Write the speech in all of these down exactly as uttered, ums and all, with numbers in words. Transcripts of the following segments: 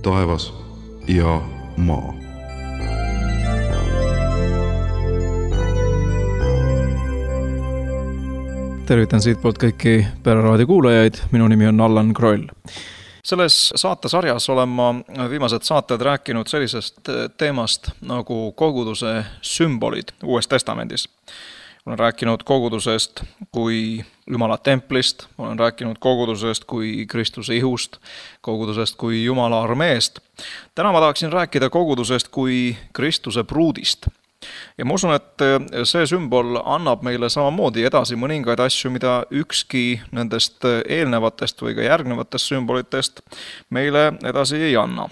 taevas ja maa. Tervitan siitpoolt kõiki Pereraadio kuulajaid, minu nimi on Allan Kroll. Selles saatesarjas olen ma viimased saated rääkinud sellisest teemast nagu koguduse sümbolid Uues Testamendis. Olen rääkinud kogudusest kui Jumala templist, olen rääkinud kogudusest kui Kristuse ihust, kogudusest kui Jumala armeest. Täna ma tahaksin rääkida kogudusest kui Kristuse pruudist. Ja ma usun, et see sümbol annab meile samamoodi edasi mõningaid asju, mida ükski nendest eelnevatest või ka järgnevatest sümbolitest meile edasi ei anna.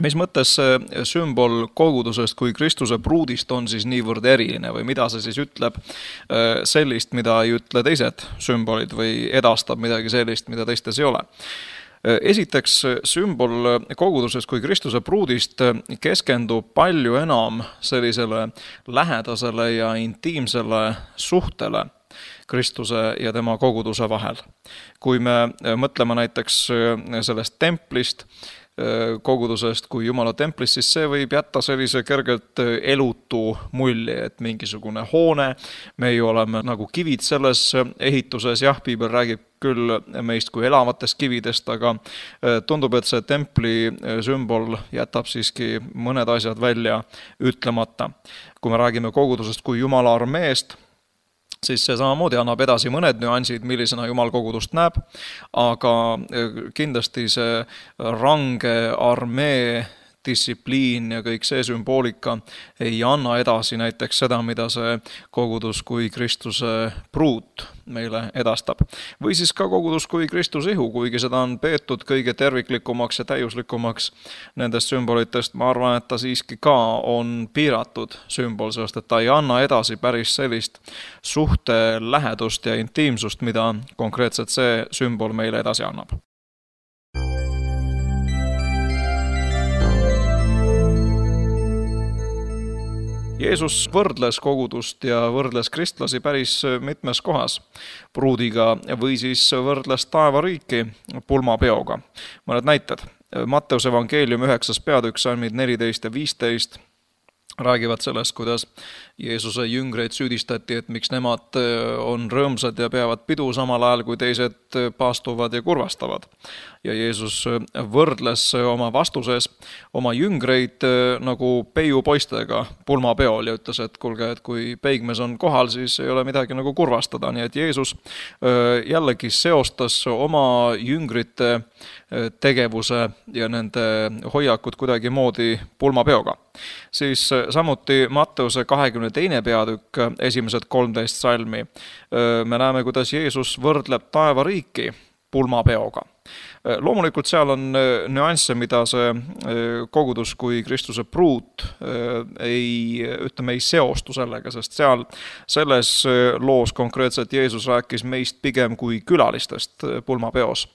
Mis mõttes see sümbol kogudusest kui Kristuse pruudist on siis niivõrd eriline või mida see siis ütleb sellist, mida ei ütle teised sümbolid või edastab midagi sellist, mida teistes ei ole. Esiteks, sümbol kogudusest kui Kristuse pruudist keskendub palju enam sellisele lähedasele ja intiimsele suhtele Kristuse ja tema koguduse vahel. Kui me mõtleme näiteks sellest templist, kogudusest kui Jumala templist, siis see võib jätta sellise kergelt elutu mulje, et mingisugune hoone, me ju oleme nagu kivid selles ehituses, jah, Piibel räägib küll meist kui elavatest kividest, aga tundub, et see templi sümbol jätab siiski mõned asjad välja ütlemata. Kui me räägime kogudusest kui Jumala armeest, siis see samamoodi annab edasi mõned nüansid, millisena Jumal kogudust näeb, aga kindlasti see range armee distsipliin ja kõik see sümboolika ei anna edasi näiteks seda, mida see kogudus kui Kristuse pruut meile edastab. Või siis ka kogudus kui Kristuse ihu, kuigi seda on peetud kõige terviklikumaks ja täiuslikumaks nendest sümbolitest, ma arvan, et ta siiski ka on piiratud sümbol, sest et ta ei anna edasi päris sellist suhte lähedust ja intiimsust, mida konkreetselt see sümbol meile edasi annab. Jeesus võrdles kogudust ja võrdles kristlasi päris mitmes kohas pruudiga või siis võrdles taevariiki pulmapeoga. Mõned näited. Matteuse evangeelium üheksas peatükk, salmid neliteist ja viisteist räägivad sellest, kuidas Jeesuse jüngreid süüdistati, et miks nemad on rõõmsad ja peavad pidu samal ajal, kui teised paastuvad ja kurvastavad. Ja Jeesus võrdles oma vastuses oma jüngreid nagu peiupoistega pulmapeol ja ütles, et kulge, et kui peigmees on kohal, siis ei ole midagi nagu kurvastada. Nii et Jeesus jällegi seostas oma jüngrite tegevuse ja nende hoiakud kuidagi moodi pulmapeoga. Siis samuti Matteuse kahekümne teine peatükk, esimesed kolmteist salmi. Me näeme, kuidas Jeesus võrdleb taevariiki pulmapeoga. Loomulikult seal on nüansse, mida see kogudus kui Kristuse pruut ei, ütleme, ei seostu sellega, sest seal selles loos konkreetselt Jeesus rääkis meist pigem kui külalistest pulmapeos.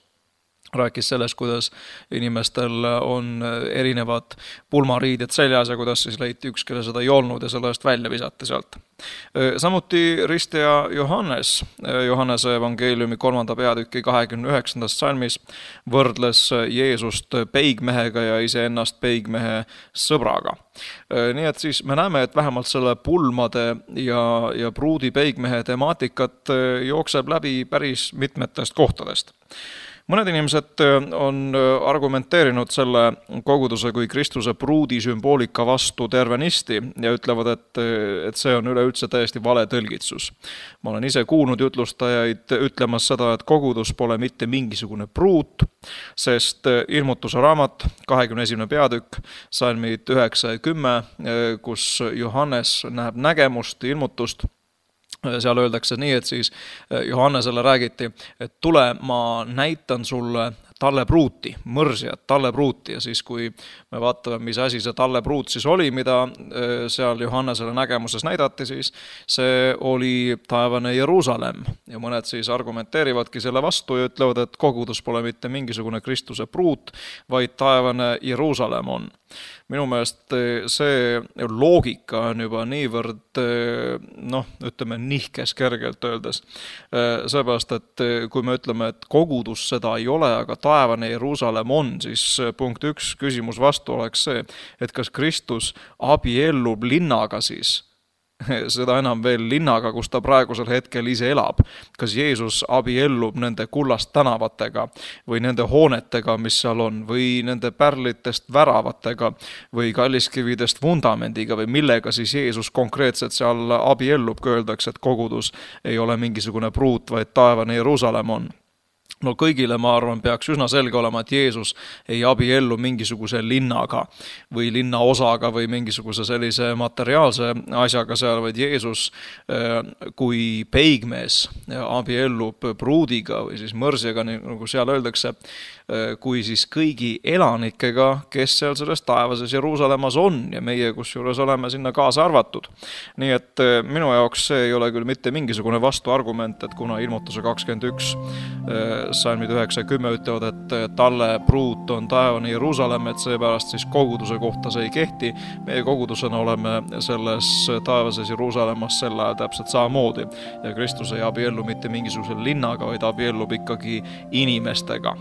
Rääkis sellest, kuidas inimestel on erinevad pulmariided seljas ja kuidas siis leiti üks, kelle seda ei olnud ja selle eest välja visati sealt. Samuti risteja Johannes, Johannese evangeeliumi kolmanda peatüki kahekümne üheksandast salmis võrdles Jeesust peigmehega ja iseennast peigmehe sõbraga. Nii et siis me näeme, et vähemalt selle pulmade ja, ja pruudi peigmehe temaatikat jookseb läbi päris mitmetest kohtadest. Mõned inimesed on argumenteerinud selle koguduse kui Kristuse pruudi sümboolika vastu tervenisti ja ütlevad, et, et see on üleüldse täiesti vale tõlgitsus. Ma olen ise kuulnud jutlustajaid ütlemas seda, et kogudus pole mitte mingisugune pruut, sest ilmutuse raamat, kahekümne esimene peatükk, salmid üheksa ja kümme, kus Johannes näeb nägemust, ilmutust, seal öeldakse nii, et siis Johannesele räägiti, et tule, ma näitan sulle tallepruuti, mõrsjat, tallepruuti ja siis kui me vaatame, mis asi see tallepruut siis oli, mida seal Johannesele nägemuses näidati, siis see oli taevane Jeruusalemm ja mõned siis argumenteerivadki selle vastu ja ütlevad, et kogudus pole mitte mingisugune Kristuse pruut, vaid taevane Jeruusalemm on. Minu meelest see loogika on juba niivõrd, noh, ütleme nihkes kergelt öeldes. Seepärast, et kui me ütleme, et kogudus seda ei ole, aga taevane Jeruusalemm on, siis punkt üks küsimus vastu oleks see, et kas Kristus abiellub linnaga siis, seda enam veel linnaga, kus ta praegusel hetkel ise elab. Kas Jeesus abiellub nende kullast tänavatega või nende hoonetega, mis seal on, või nende pärlitest väravatega või kalliskividest vundamendiga või millega siis Jeesus konkreetselt seal abiellub, kui öeldakse, et kogudus ei ole mingisugune pruut, vaid taevane Jeruusalemm on. No kõigile, ma arvan, peaks üsna selge olema, et Jeesus ei abiellu mingisuguse linnaga või linna osaga või mingisuguse sellise materiaalse asjaga seal, vaid Jeesus kui peigmees abiellub pruudiga või siis mõrsjaga, nagu seal öeldakse, kui siis kõigi elanikega, kes seal selles taevases Jeruusalemmas on ja meie kusjuures oleme sinna kaasa arvatud. Nii et minu jaoks see ei ole küll mitte mingisugune vastuargument, et kuna ilmutuse kakskümmend üks salmid üheksa ja kümme ütlevad, et talle pruut on taevane Jeruusalemm, et seepärast siis koguduse kohta see ei kehti. Meie kogudusena oleme selles taevases Jeruusalemmas sel ajal täpselt samamoodi ja Kristus ei abiellu mitte mingisuguse linnaga, vaid abiellub ikkagi inimestega.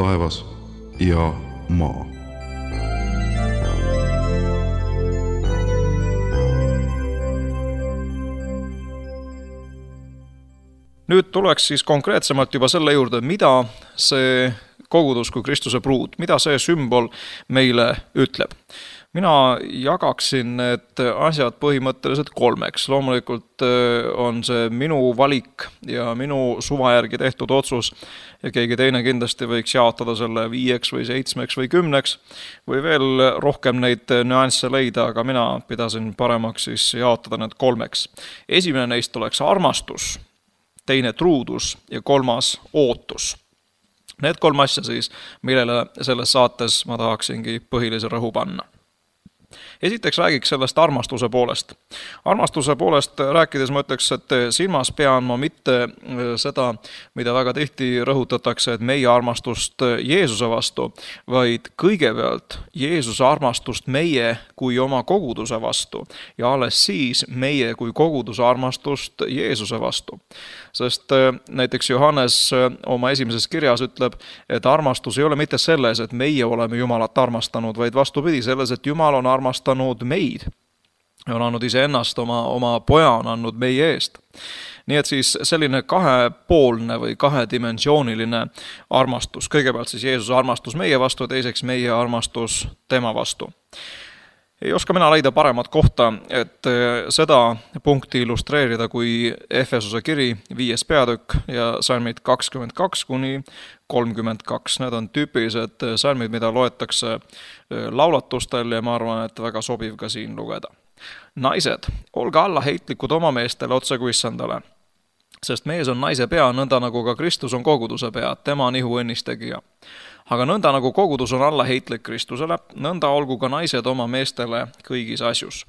taevas ja maa. Nüüd tuleks siis konkreetsemalt juba selle juurde, mida see kogudus kui Kristuse pruut, mida see sümbol meile ütleb. Mina jagaksin need asjad põhimõtteliselt kolmeks. Loomulikult on see minu valik ja minu suva järgi tehtud otsus ja keegi teine kindlasti võiks jaotada selle viieks või seitsmeks või kümneks või veel rohkem neid nüansse leida, aga mina pidasin paremaks siis jaotada need kolmeks. Esimene neist oleks armastus, teine truudus ja kolmas ootus. Need kolm asja siis, millele selles saates ma tahaksingi põhilise rõhu panna. Esiteks räägiks sellest armastuse poolest. Armastuse poolest rääkides ma ütleks, et silmas pean ma mitte seda, mida väga tihti rõhutatakse, et meie armastust Jeesuse vastu, vaid kõigepealt Jeesuse armastust meie kui oma koguduse vastu ja alles siis meie kui koguduse armastust Jeesuse vastu. Sest näiteks Johannes oma esimeses kirjas ütleb, et armastus ei ole mitte selles, et meie oleme Jumalat armastanud, vaid vastupidi selles, et Jumal on armastanud meid. On andnud iseennast, oma, oma poja on andnud meie eest. Nii et siis selline kahepoolne või kahedimensiooniline armastus. Kõigepealt siis Jeesuse armastus meie vastu ja teiseks meie armastus tema vastu. Ei oska mina leida paremat kohta, et seda punkti illustreerida kui Efesuse kiri viies peatükk ja salmid kakskümmend kaks kuni kolmkümmend kaks. Need on tüüpilised salmid, mida loetakse laulatustel ja ma arvan, et väga sobiv ka siin lugeda. Naised, olge alla heitlikud oma meestele otse kui issandale, sest mees on naise pea, nõnda nagu ka Kristus on koguduse pea, tema on ihu õnnistegija. Aga nõnda nagu kogudus on alla heitlik Kristusele, nõnda olgu ka naised oma meestele kõigis asjus.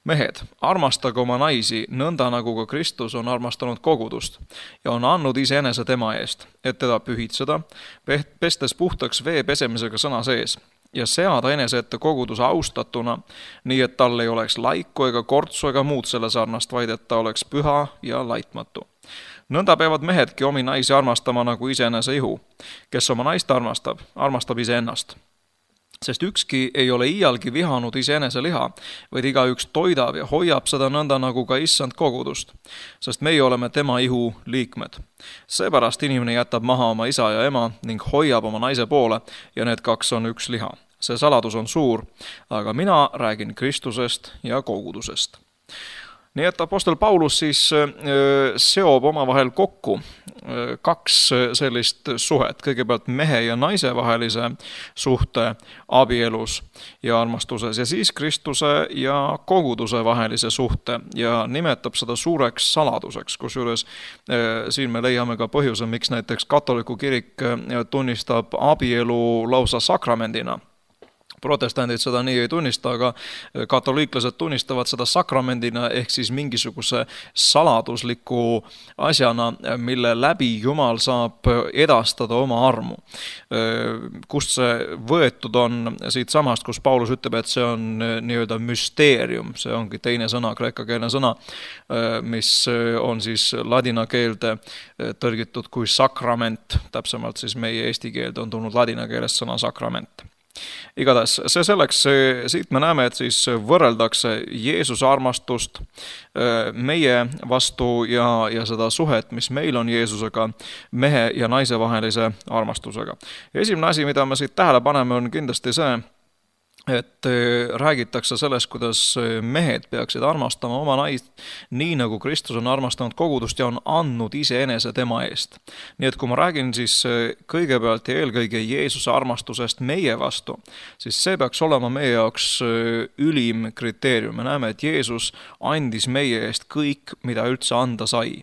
Mehed, armastage oma naisi, nõnda nagu ka Kristus on armastanud kogudust ja on andnud iseenese tema eest, et teda pühitseda, pestes puhtaks vee pesemisega sõna sees ja seada enese ette koguduse austatuna, nii et tal ei oleks laiku ega kortsu ega muud selle sarnast, vaid et ta oleks püha ja laitmatu. Nõnda peavad mehedki omi naisi armastama nagu iseenese ihu. Kes oma naist armastab, armastab iseennast. Sest ükski ei ole iialgi vihanud iseenese liha, vaid igaüks toidab ja hoiab seda nõnda nagu ka issand kogudust. Sest meie oleme tema ihu liikmed. Seepärast inimene jätab maha oma isa ja ema ning hoiab oma naise poole ja need kaks on üks liha. See saladus on suur, aga mina räägin Kristusest ja kogudusest. Nii et apostel Paulus siis seob omavahel kokku kaks sellist suhet, kõigepealt mehe ja naise vahelise suhte abielus ja armastuses ja siis Kristuse ja koguduse vahelise suhte ja nimetab seda suureks saladuseks, kusjuures siin me leiame ka põhjuse, miks näiteks katoliku kirik tunnistab abielu lausa sakramendina. Protestandid seda nii ei tunnista, aga katoliiklased tunnistavad seda sakramendina ehk siis mingisuguse saladusliku asjana, mille läbi Jumal saab edastada oma armu. Kust see võetud on siit samast, kus Paulus ütleb, et see on nii-öelda müsteerium, see ongi teine sõna, kreekakeelne sõna, mis on siis ladina keelde tõlgitud kui sakrament, täpsemalt siis meie eesti keelde on tulnud ladina keelest sõna sakrament. Igatahes, see selleks, siit me näeme, et siis võrreldakse Jeesuse armastust meie vastu ja, ja seda suhet, mis meil on Jeesusega, mehe ja naise vahelise armastusega. Esimene asi, mida me siit tähele paneme, on kindlasti see, et räägitakse sellest, kuidas mehed peaksid armastama oma naist nii, nagu Kristus on armastanud kogudust ja on andnud iseenese tema eest. Nii et kui ma räägin siis kõigepealt ja eelkõige Jeesuse armastusest meie vastu, siis see peaks olema meie jaoks ülim kriteerium. Me näeme, et Jeesus andis meie eest kõik, mida üldse anda sai.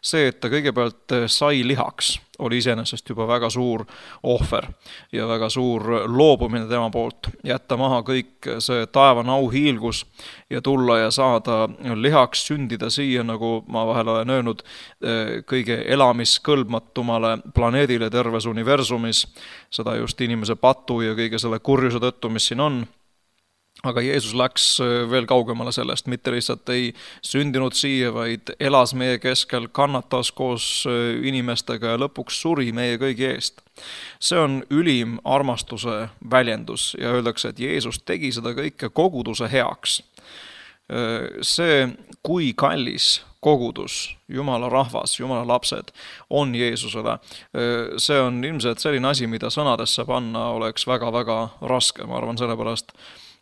See, et ta kõigepealt sai lihaks, oli iseenesest juba väga suur ohver ja väga suur loobumine tema poolt. Jätta maha kõik see taevan auhiilgus ja tulla ja saada lihaks, sündida siia, nagu ma vahel olen öelnud, kõige elamiskõlbmatumale planeedile terves universumis, seda just inimese patu ja kõige selle kurjuse tõttu, mis siin on. Aga Jeesus läks veel kaugemale sellest, mitte lihtsalt ei sündinud siia, vaid elas meie keskel, kannatas koos inimestega ja lõpuks suri meie kõigi eest. See on ülim armastuse väljendus ja öeldakse, et Jeesus tegi seda kõike koguduse heaks. See, kui kallis kogudus, Jumala rahvas, Jumala lapsed on Jeesusele, see on ilmselt selline asi, mida sõnadesse panna oleks väga-väga raske, ma arvan sellepärast,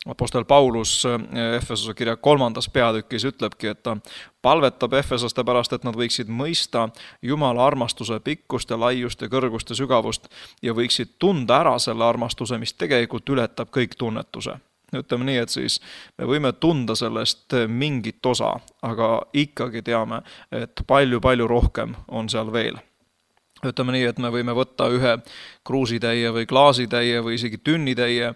Apostel Paulus Efesose kirja kolmandas peatükis ütlebki, et ta palvetab efesoste pärast, et nad võiksid mõista Jumala armastuse pikkust ja laiust ja kõrgust ja sügavust ja võiksid tunda ära selle armastuse, mis tegelikult ületab kõik tunnetuse. Ütleme nii, et siis me võime tunda sellest mingit osa, aga ikkagi teame, et palju-palju rohkem on seal veel. Ütleme nii, et me võime võtta ühe kruusitäie või klaasitäie või isegi tünnitäie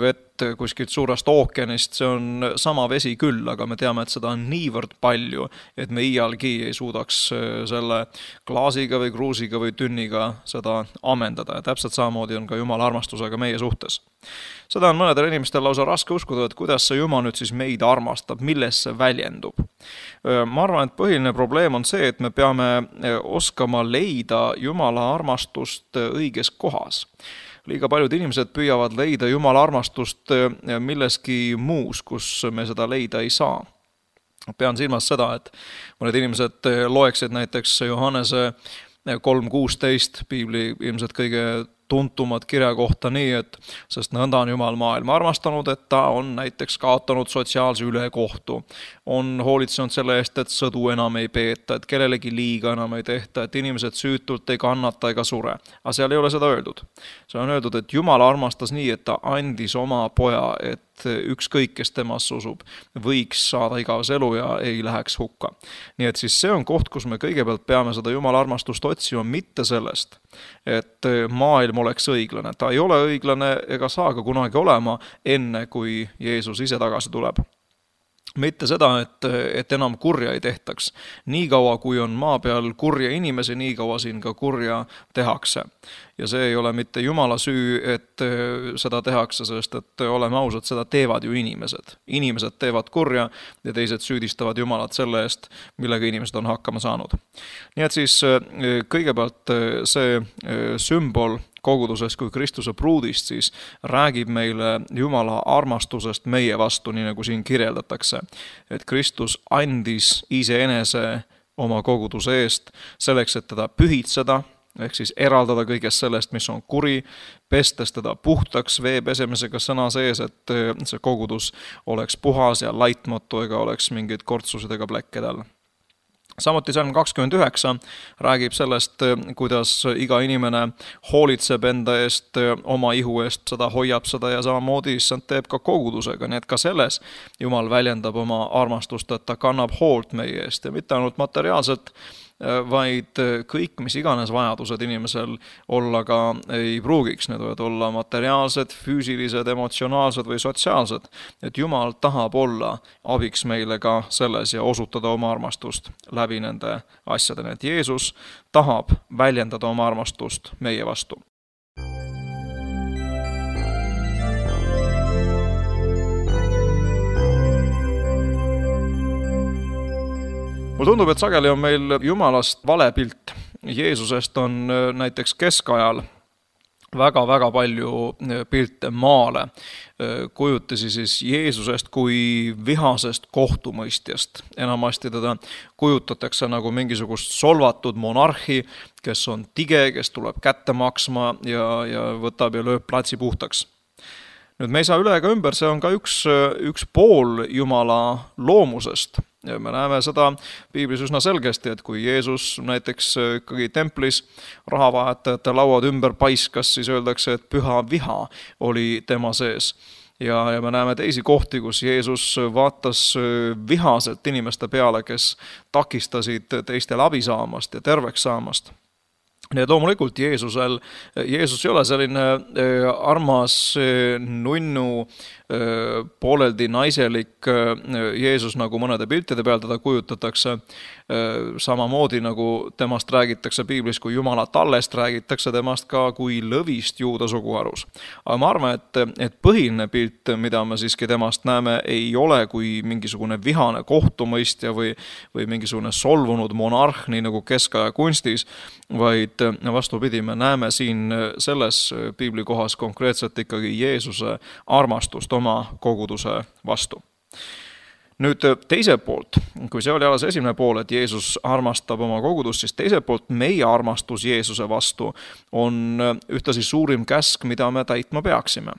vett kuskilt suurest ookeanist, see on sama vesi küll, aga me teame, et seda on niivõrd palju, et me iialgi ei suudaks selle klaasiga või kruusiga või tünniga seda ammendada ja täpselt samamoodi on ka Jumala armastusega meie suhtes. Seda on mõnedel inimestel lausa raske uskuda, et kuidas see Jumal nüüd siis meid armastab, milles see väljendub. Ma arvan, et põhiline probleem on see, et me peame oskama leida Jumala armastust õiges kohas. Liiga paljud inimesed püüavad leida Jumala armastust milleski muus, kus me seda leida ei saa. Pean silmas seda, et mõned inimesed loeksid näiteks Johannese kolm kuusteist piibli ilmselt kõige tuntumad kirja kohta nii, et sest nõnda on Jumal maailma armastanud, et ta on näiteks kaotanud sotsiaalse ülekohtu, on hoolitsenud selle eest, et sõdu enam ei peeta, et kellelegi liiga enam ei tehta, et inimesed süütult ei kannata ega sure. Aga seal ei ole seda öeldud. See on öeldud, et Jumal armastas nii, et ta andis oma poja, et ükskõik, kes temasse usub, võiks saada igavese elu ja ei läheks hukka. Nii et siis see on koht, kus me kõigepealt peame seda Jumala armastust otsima mitte sellest, et maailm oleks õiglane. Ta ei ole õiglane ega saa ka kunagi olema enne, kui Jeesus ise tagasi tuleb. Mitte seda, et, et enam kurja ei tehtaks. Nii kaua, kui on maa peal kurja inimesi, nii kaua siin ka kurja tehakse. Ja see ei ole mitte Jumala süü, et seda tehakse, sest et oleme ausad, seda teevad ju inimesed. Inimesed teevad kurja ja teised süüdistavad Jumalat selle eest, millega inimesed on hakkama saanud. Nii et siis kõigepealt see sümbol koguduses kui Kristuse pruudist siis räägib meile Jumala armastusest meie vastu, nii nagu siin kirjeldatakse. Et Kristus andis iseenese oma koguduse eest selleks, et teda pühitseda, ehk siis eraldada kõigest sellest, mis on kuri, pestes teda puhtaks vee pesemisega sõna sees, et see kogudus oleks puhas ja laitmatu ega oleks mingeid kortsusid ega pläkkedel. Samuti salm kakskümmend üheksa räägib sellest, kuidas iga inimene hoolitseb enda eest, oma ihu eest, seda hoiab seda ja samamoodi issand teeb ka kogudusega, nii et ka selles Jumal väljendab oma armastust, et ta kannab hoolt meie eest ja mitte ainult materiaalselt, vaid kõik, mis iganes vajadused inimesel olla ka ei pruugiks. Need võivad olla materiaalsed, füüsilised, emotsionaalsed või sotsiaalsed. Et Jumal tahab olla abiks meile ka selles ja osutada oma armastust läbi nende asjadena. Et Jeesus tahab väljendada oma armastust meie vastu. Mulle tundub, et sageli on meil Jumalast vale pilt. Jeesusest on näiteks keskajal väga-väga palju pilte maale. Kujutisi siis Jeesusest kui vihasest kohtumõistjast. Enamasti teda kujutatakse nagu mingisugust solvatud monarhi, kes on tige, kes tuleb kätte maksma ja, ja võtab ja lööb platsi puhtaks. Nüüd me ei saa üle ega ümber, see on ka üks, üks pool Jumala loomusest. Ja me näeme seda piiblis üsna selgesti, et kui Jeesus näiteks ikkagi templis rahavahetajate lauad ümber paiskas, siis öeldakse, et püha viha oli tema sees. Ja, ja me näeme teisi kohti, kus Jeesus vaatas vihaselt inimeste peale, kes takistasid teistel abi saamast ja terveks saamast. Nii et loomulikult Jeesusel, Jeesus ei ole selline armas nunnu, pooleldi naiselik Jeesus, nagu mõnede piltide peal teda kujutatakse, samamoodi nagu temast räägitakse piiblis kui Jumala tallest, räägitakse temast ka kui lõvist juuda suguharus. Aga ma arvan, et, et põhiline pilt, mida me siiski temast näeme, ei ole kui mingisugune vihane kohtumõistja või, või mingisugune solvunud monarh, nii nagu keskaja kunstis, vaid vastupidi, me näeme siin selles piiblikohas konkreetselt ikkagi Jeesuse armastust oma koguduse vastu. Nüüd teiselt poolt, kui see oli alles esimene pool, et Jeesus armastab oma kogudust, siis teiselt poolt meie armastus Jeesuse vastu on ühtlasi suurim käsk, mida me täitma peaksime.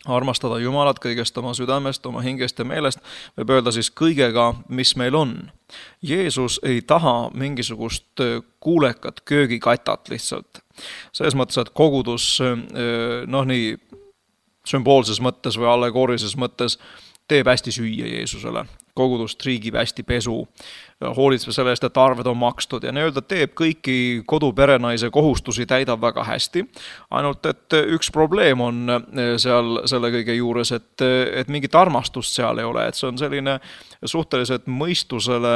armastada Jumalat kõigest oma südamest, oma hingest ja meelest, võib öelda siis kõigega, mis meil on. Jeesus ei taha mingisugust kuulekat köögikatat lihtsalt. Selles mõttes, et kogudus, noh nii sümboolses mõttes või allegoorilises mõttes teeb hästi süüa Jeesusele. Kogudus triigib hästi pesu, hoolitseb selle eest, et arved on makstud ja nii-öelda teeb kõiki koduperenaise kohustusi, täidab väga hästi. Ainult, et üks probleem on seal selle kõige juures, et, et mingit armastust seal ei ole, et see on selline suhteliselt mõistusele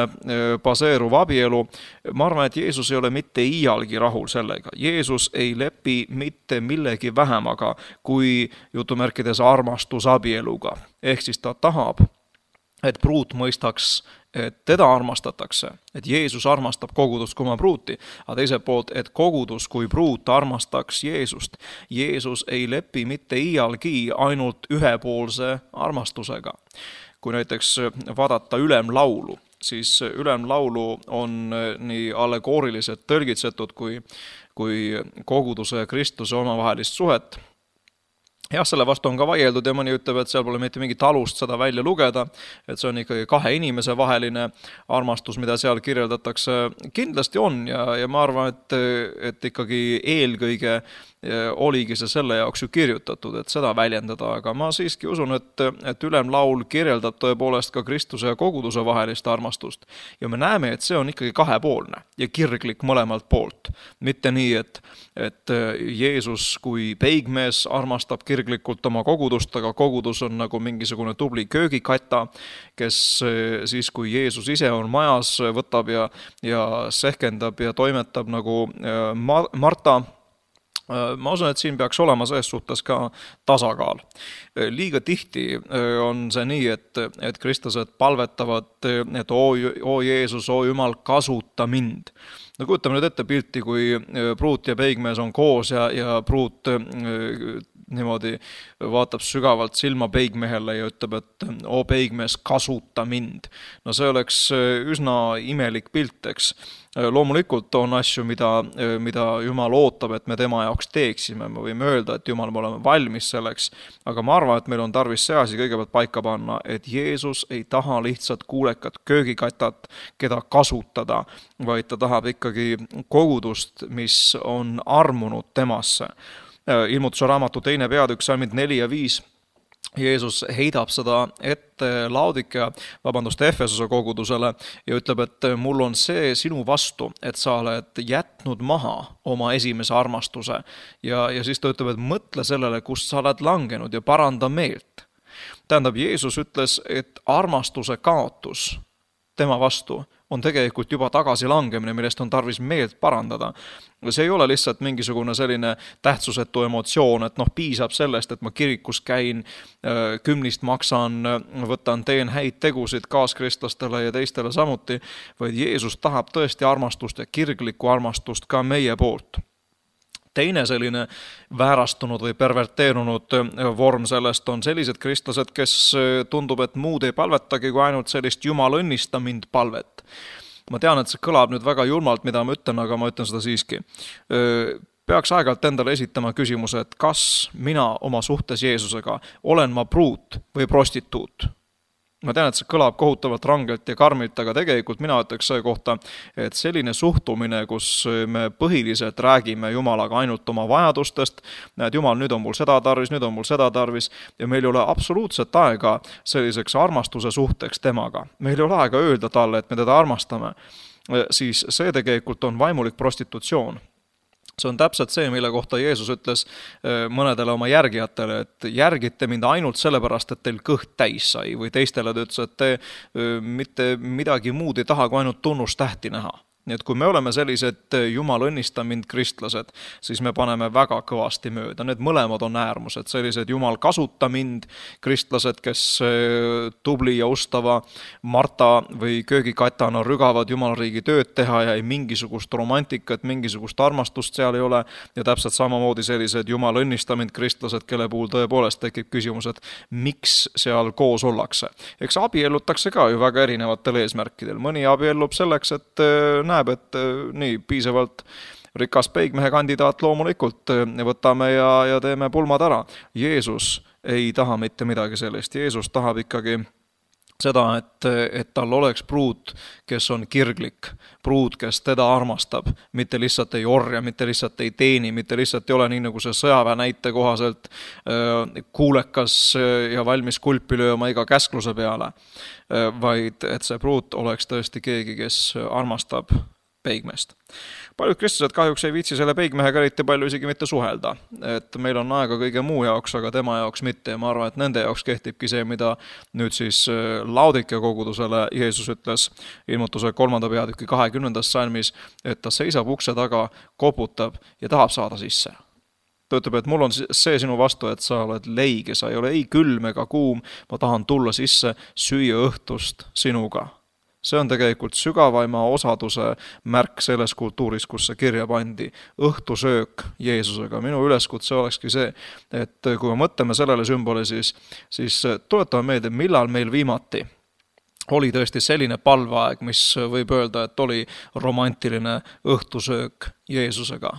baseeruv abielu. Ma arvan, et Jeesus ei ole mitte iialgi rahul sellega. Jeesus ei lepi mitte millegi vähemaga kui jutumärkides armastus abieluga. Ehk siis ta tahab, et pruut mõistaks, et teda armastatakse, et Jeesus armastab kogudust kui oma pruuti, aga teiselt poolt, et kogudus kui pruut armastaks Jeesust. Jeesus ei lepi mitte iialgi ainult ühepoolse armastusega. Kui näiteks vaadata ülemlaulu, siis ülemlaulu on nii allegooriliselt tõlgitsetud kui, kui koguduse ja Kristuse omavahelist suhet. Jah, selle vastu on ka vaieldud ja mõni ütleb, et seal pole mitte mingit alust seda välja lugeda, et see on ikkagi kahe inimese vaheline armastus, mida seal kirjeldatakse. Kindlasti on ja, ja ma arvan, et, et ikkagi eelkõige oligi see selle jaoks ju kirjutatud, et seda väljendada, aga ma siiski usun, et, et ülemlaul kirjeldab tõepoolest ka Kristuse ja koguduse vahelist armastust. Ja me näeme, et see on ikkagi kahepoolne ja kirglik mõlemalt poolt. Mitte nii, et, et Jeesus kui peigmees armastab kirglikult oma kogudust, aga kogudus on nagu mingisugune tubli köögikata, kes siis, kui Jeesus ise on majas, võtab ja, ja sehkendab ja toimetab nagu Marta. Ma usun, et siin peaks olema selles suhtes ka tasakaal. Liiga tihti on see nii, et, et kristlased palvetavad, et oo, oo Jeesus, oo Jumal, kasuta mind. No kujutame nüüd ette pilti, kui pruut ja peigmees on koos ja, ja pruut niimoodi vaatab sügavalt silma peigmehele ja ütleb, et oo peigmees, kasuta mind. No see oleks üsna imelik pilt, eks. Loomulikult on asju, mida, mida Jumal ootab, et me tema jaoks teeksime. Me võime öelda, et Jumal, me oleme valmis selleks, aga ma arvan, et meil on tarvis see asi kõigepealt paika panna, et Jeesus ei taha lihtsalt kuulekat köögikatat, keda kasutada, vaid ta tahab ikkagi kogudust, mis on armunud temasse. Ilmutuse raamatu teine peatükk, salmid neli ja viis. Jeesus heidab seda ette Laodikea, vabandust, Efesose kogudusele ja ütleb, et mul on see sinu vastu, et sa oled jätnud maha oma esimese armastuse. Ja, ja siis ta ütleb, et mõtle sellele, kust sa oled langenud ja paranda meelt. Tähendab, Jeesus ütles, et armastuse kaotus tema vastu on tegelikult juba tagasi langemine, millest on tarvis meelt parandada. See ei ole lihtsalt mingisugune selline tähtsusetu emotsioon, et noh, piisab sellest, et ma kirikus käin, kümnist maksan, võtan, teen häid tegusid kaaskristlastele ja teistele samuti, vaid Jeesus tahab tõesti armastust ja kirglikku armastust ka meie poolt. Teine selline väärastunud või perverteerunud vorm sellest on sellised kristlased, kes tundub, et muud ei palvetagi kui ainult sellist Jumal õnnista mind palvet. Ma tean, et see kõlab nüüd väga julmalt, mida ma ütlen, aga ma ütlen seda siiski. Peaks aeg-ajalt endale esitama küsimuse, et kas mina oma suhtes Jeesusega olen ma pruut või prostituut? Ma tean, et see kõlab kohutavalt rangelt ja karmilt, aga tegelikult mina ütleks selle kohta, et selline suhtumine, kus me põhiliselt räägime Jumalaga ainult oma vajadustest, näed, Jumal, nüüd on mul seda tarvis, nüüd on mul seda tarvis ja meil ei ole absoluutselt aega selliseks armastuse suhteks temaga. Meil ei ole aega öelda talle, et me teda armastame, siis see tegelikult on vaimulik prostitutsioon. See on täpselt see, mille kohta Jeesus ütles mõnedele oma järgijatele, et järgite mind ainult sellepärast, et teil kõht täis sai, või teistele ta ütles, et te mitte midagi muud ei taha, kui ainult tunnustähti näha. Nii et kui me oleme sellised Jumal õnnista mind kristlased, siis me paneme väga kõvasti mööda. Need mõlemad on äärmused, sellised Jumal kasuta mind kristlased, kes tubli ja ustava Marta või köögikatana rügavad Jumalriigi tööd teha ja ei mingisugust romantikat, mingisugust armastust seal ei ole. Ja täpselt samamoodi sellised Jumal õnnista mind kristlased, kelle puhul tõepoolest tekib küsimus, et miks seal koos ollakse. Eks abiellutakse ka ju väga erinevatel eesmärkidel. Mõni abiellub selleks, et näeb, et nii piisavalt rikas peigmehe kandidaat loomulikult võtame ja, ja teeme pulmad ära. Jeesus ei taha mitte midagi sellist. Jeesus tahab ikkagi seda, et, et tal oleks pruut, kes on kirglik, pruut, kes teda armastab, mitte lihtsalt ei orja, mitte lihtsalt ei teeni, mitte lihtsalt ei ole nii nagu see sõjaväe näite kohaselt kuulekas ja valmis kulpi lööma iga käskluse peale, vaid et see pruut oleks tõesti keegi, kes armastab peigmest. Paljud kristlased kahjuks ei viitsi selle peigmehega eriti palju isegi mitte suhelda, et meil on aega kõige muu jaoks, aga tema jaoks mitte ja ma arvan, et nende jaoks kehtibki see, mida nüüd siis Laodikea kogudusele Jeesus ütles ilmutuse kolmanda peatüki kahekümnendas salmis, et ta seisab ukse taga, koputab ja tahab saada sisse. Ta ütleb, et mul on see sinu vastu, et sa oled leige, sa ei ole ei külm ega kuum, ma tahan tulla sisse, süüa õhtust sinuga. See on tegelikult sügavaima osaduse märk selles kultuuris, kus see kirja pandi. Õhtusöök Jeesusega. Minu üleskutse olekski see, et kui me mõtleme sellele sümboli, siis, siis tuletame meelde, millal meil viimati oli tõesti selline palveaeg, mis võib öelda, et oli romantiline õhtusöök Jeesusega.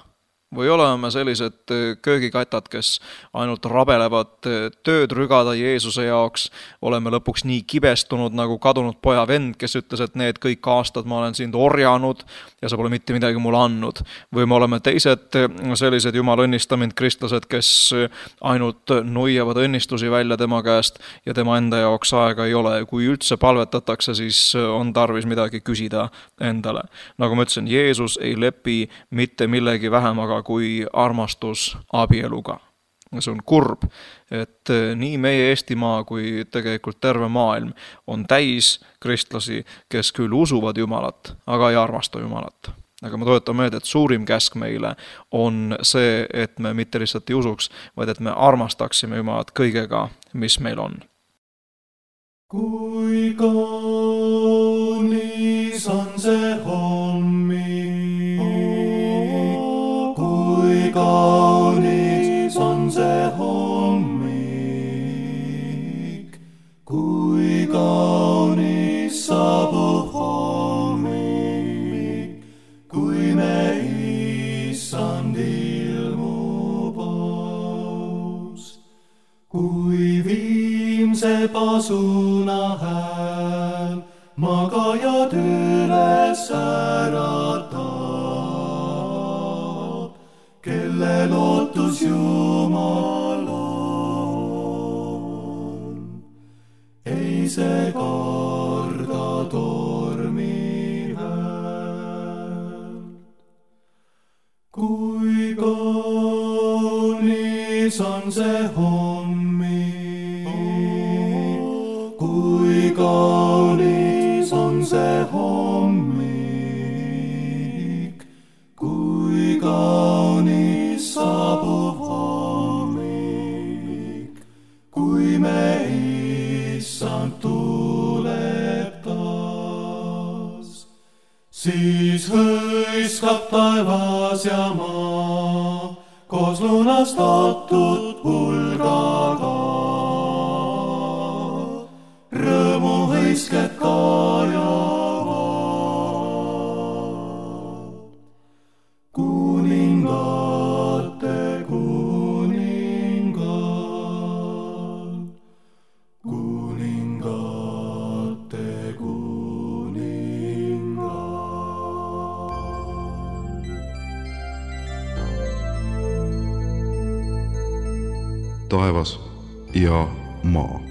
Või oleme sellised köögikatad, kes ainult rabelevad tööd rügada Jeesuse jaoks. Oleme lõpuks nii kibestunud nagu kadunud poja vend, kes ütles, et need kõik aastad ma olen sind orjanud ja sa pole mitte midagi mulle andnud. Või me oleme teised sellised jumal õnnistamind kristlased, kes ainult nuiavad õnnistusi välja tema käest ja tema enda jaoks aega ei ole. Kui üldse palvetatakse, siis on tarvis midagi küsida endale. Nagu ma ütlesin, Jeesus ei lepi mitte millegi vähemaga kui armastus abieluga. See on kurb, et nii meie Eestimaa kui tegelikult terve maailm on täis kristlasi, kes küll usuvad Jumalat, aga ei armasta Jumalat. Aga ma toetan meelde, et suurim käsk meile on see, et me mitte lihtsalt ei usuks, vaid et me armastaksime Jumalat kõigega, mis meil on. Kui kaunis on see hommik, kui kaunis on see hommik, kui kaunis saabub hommik, kui me issand ilmub aus, kui viimse pasuna hääl magajad üles äratab, kelle lootus Jumal on. Ei see karda tormi hääl. Kui kaunis on see hommik, kui kaunis on see hommik, kui kaunis saabub hommik, kui me issand tuleb taas. Siis hõiskab taevas ja maa koos lunastatud hulgaga. Rõõmu hõisked kajavad. Kuningate kuningal, kuningate kuningal. Taevas ja maa.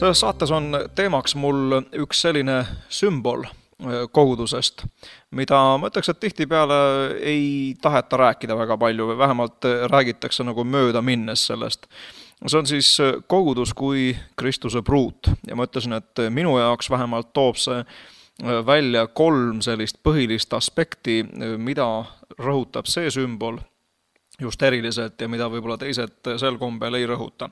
Selles saates on teemaks mul üks selline sümbol kogudusest, mida ma ütleks, et tihtipeale ei taheta rääkida väga palju või vähemalt räägitakse nagu mööda minnes sellest. See on siis kogudus kui Kristuse pruut ja ma ütlesin, et minu jaoks vähemalt toob see välja kolm sellist põhilist aspekti, mida rõhutab see sümbol just eriliselt ja mida võib-olla teised sel kombel ei rõhuta.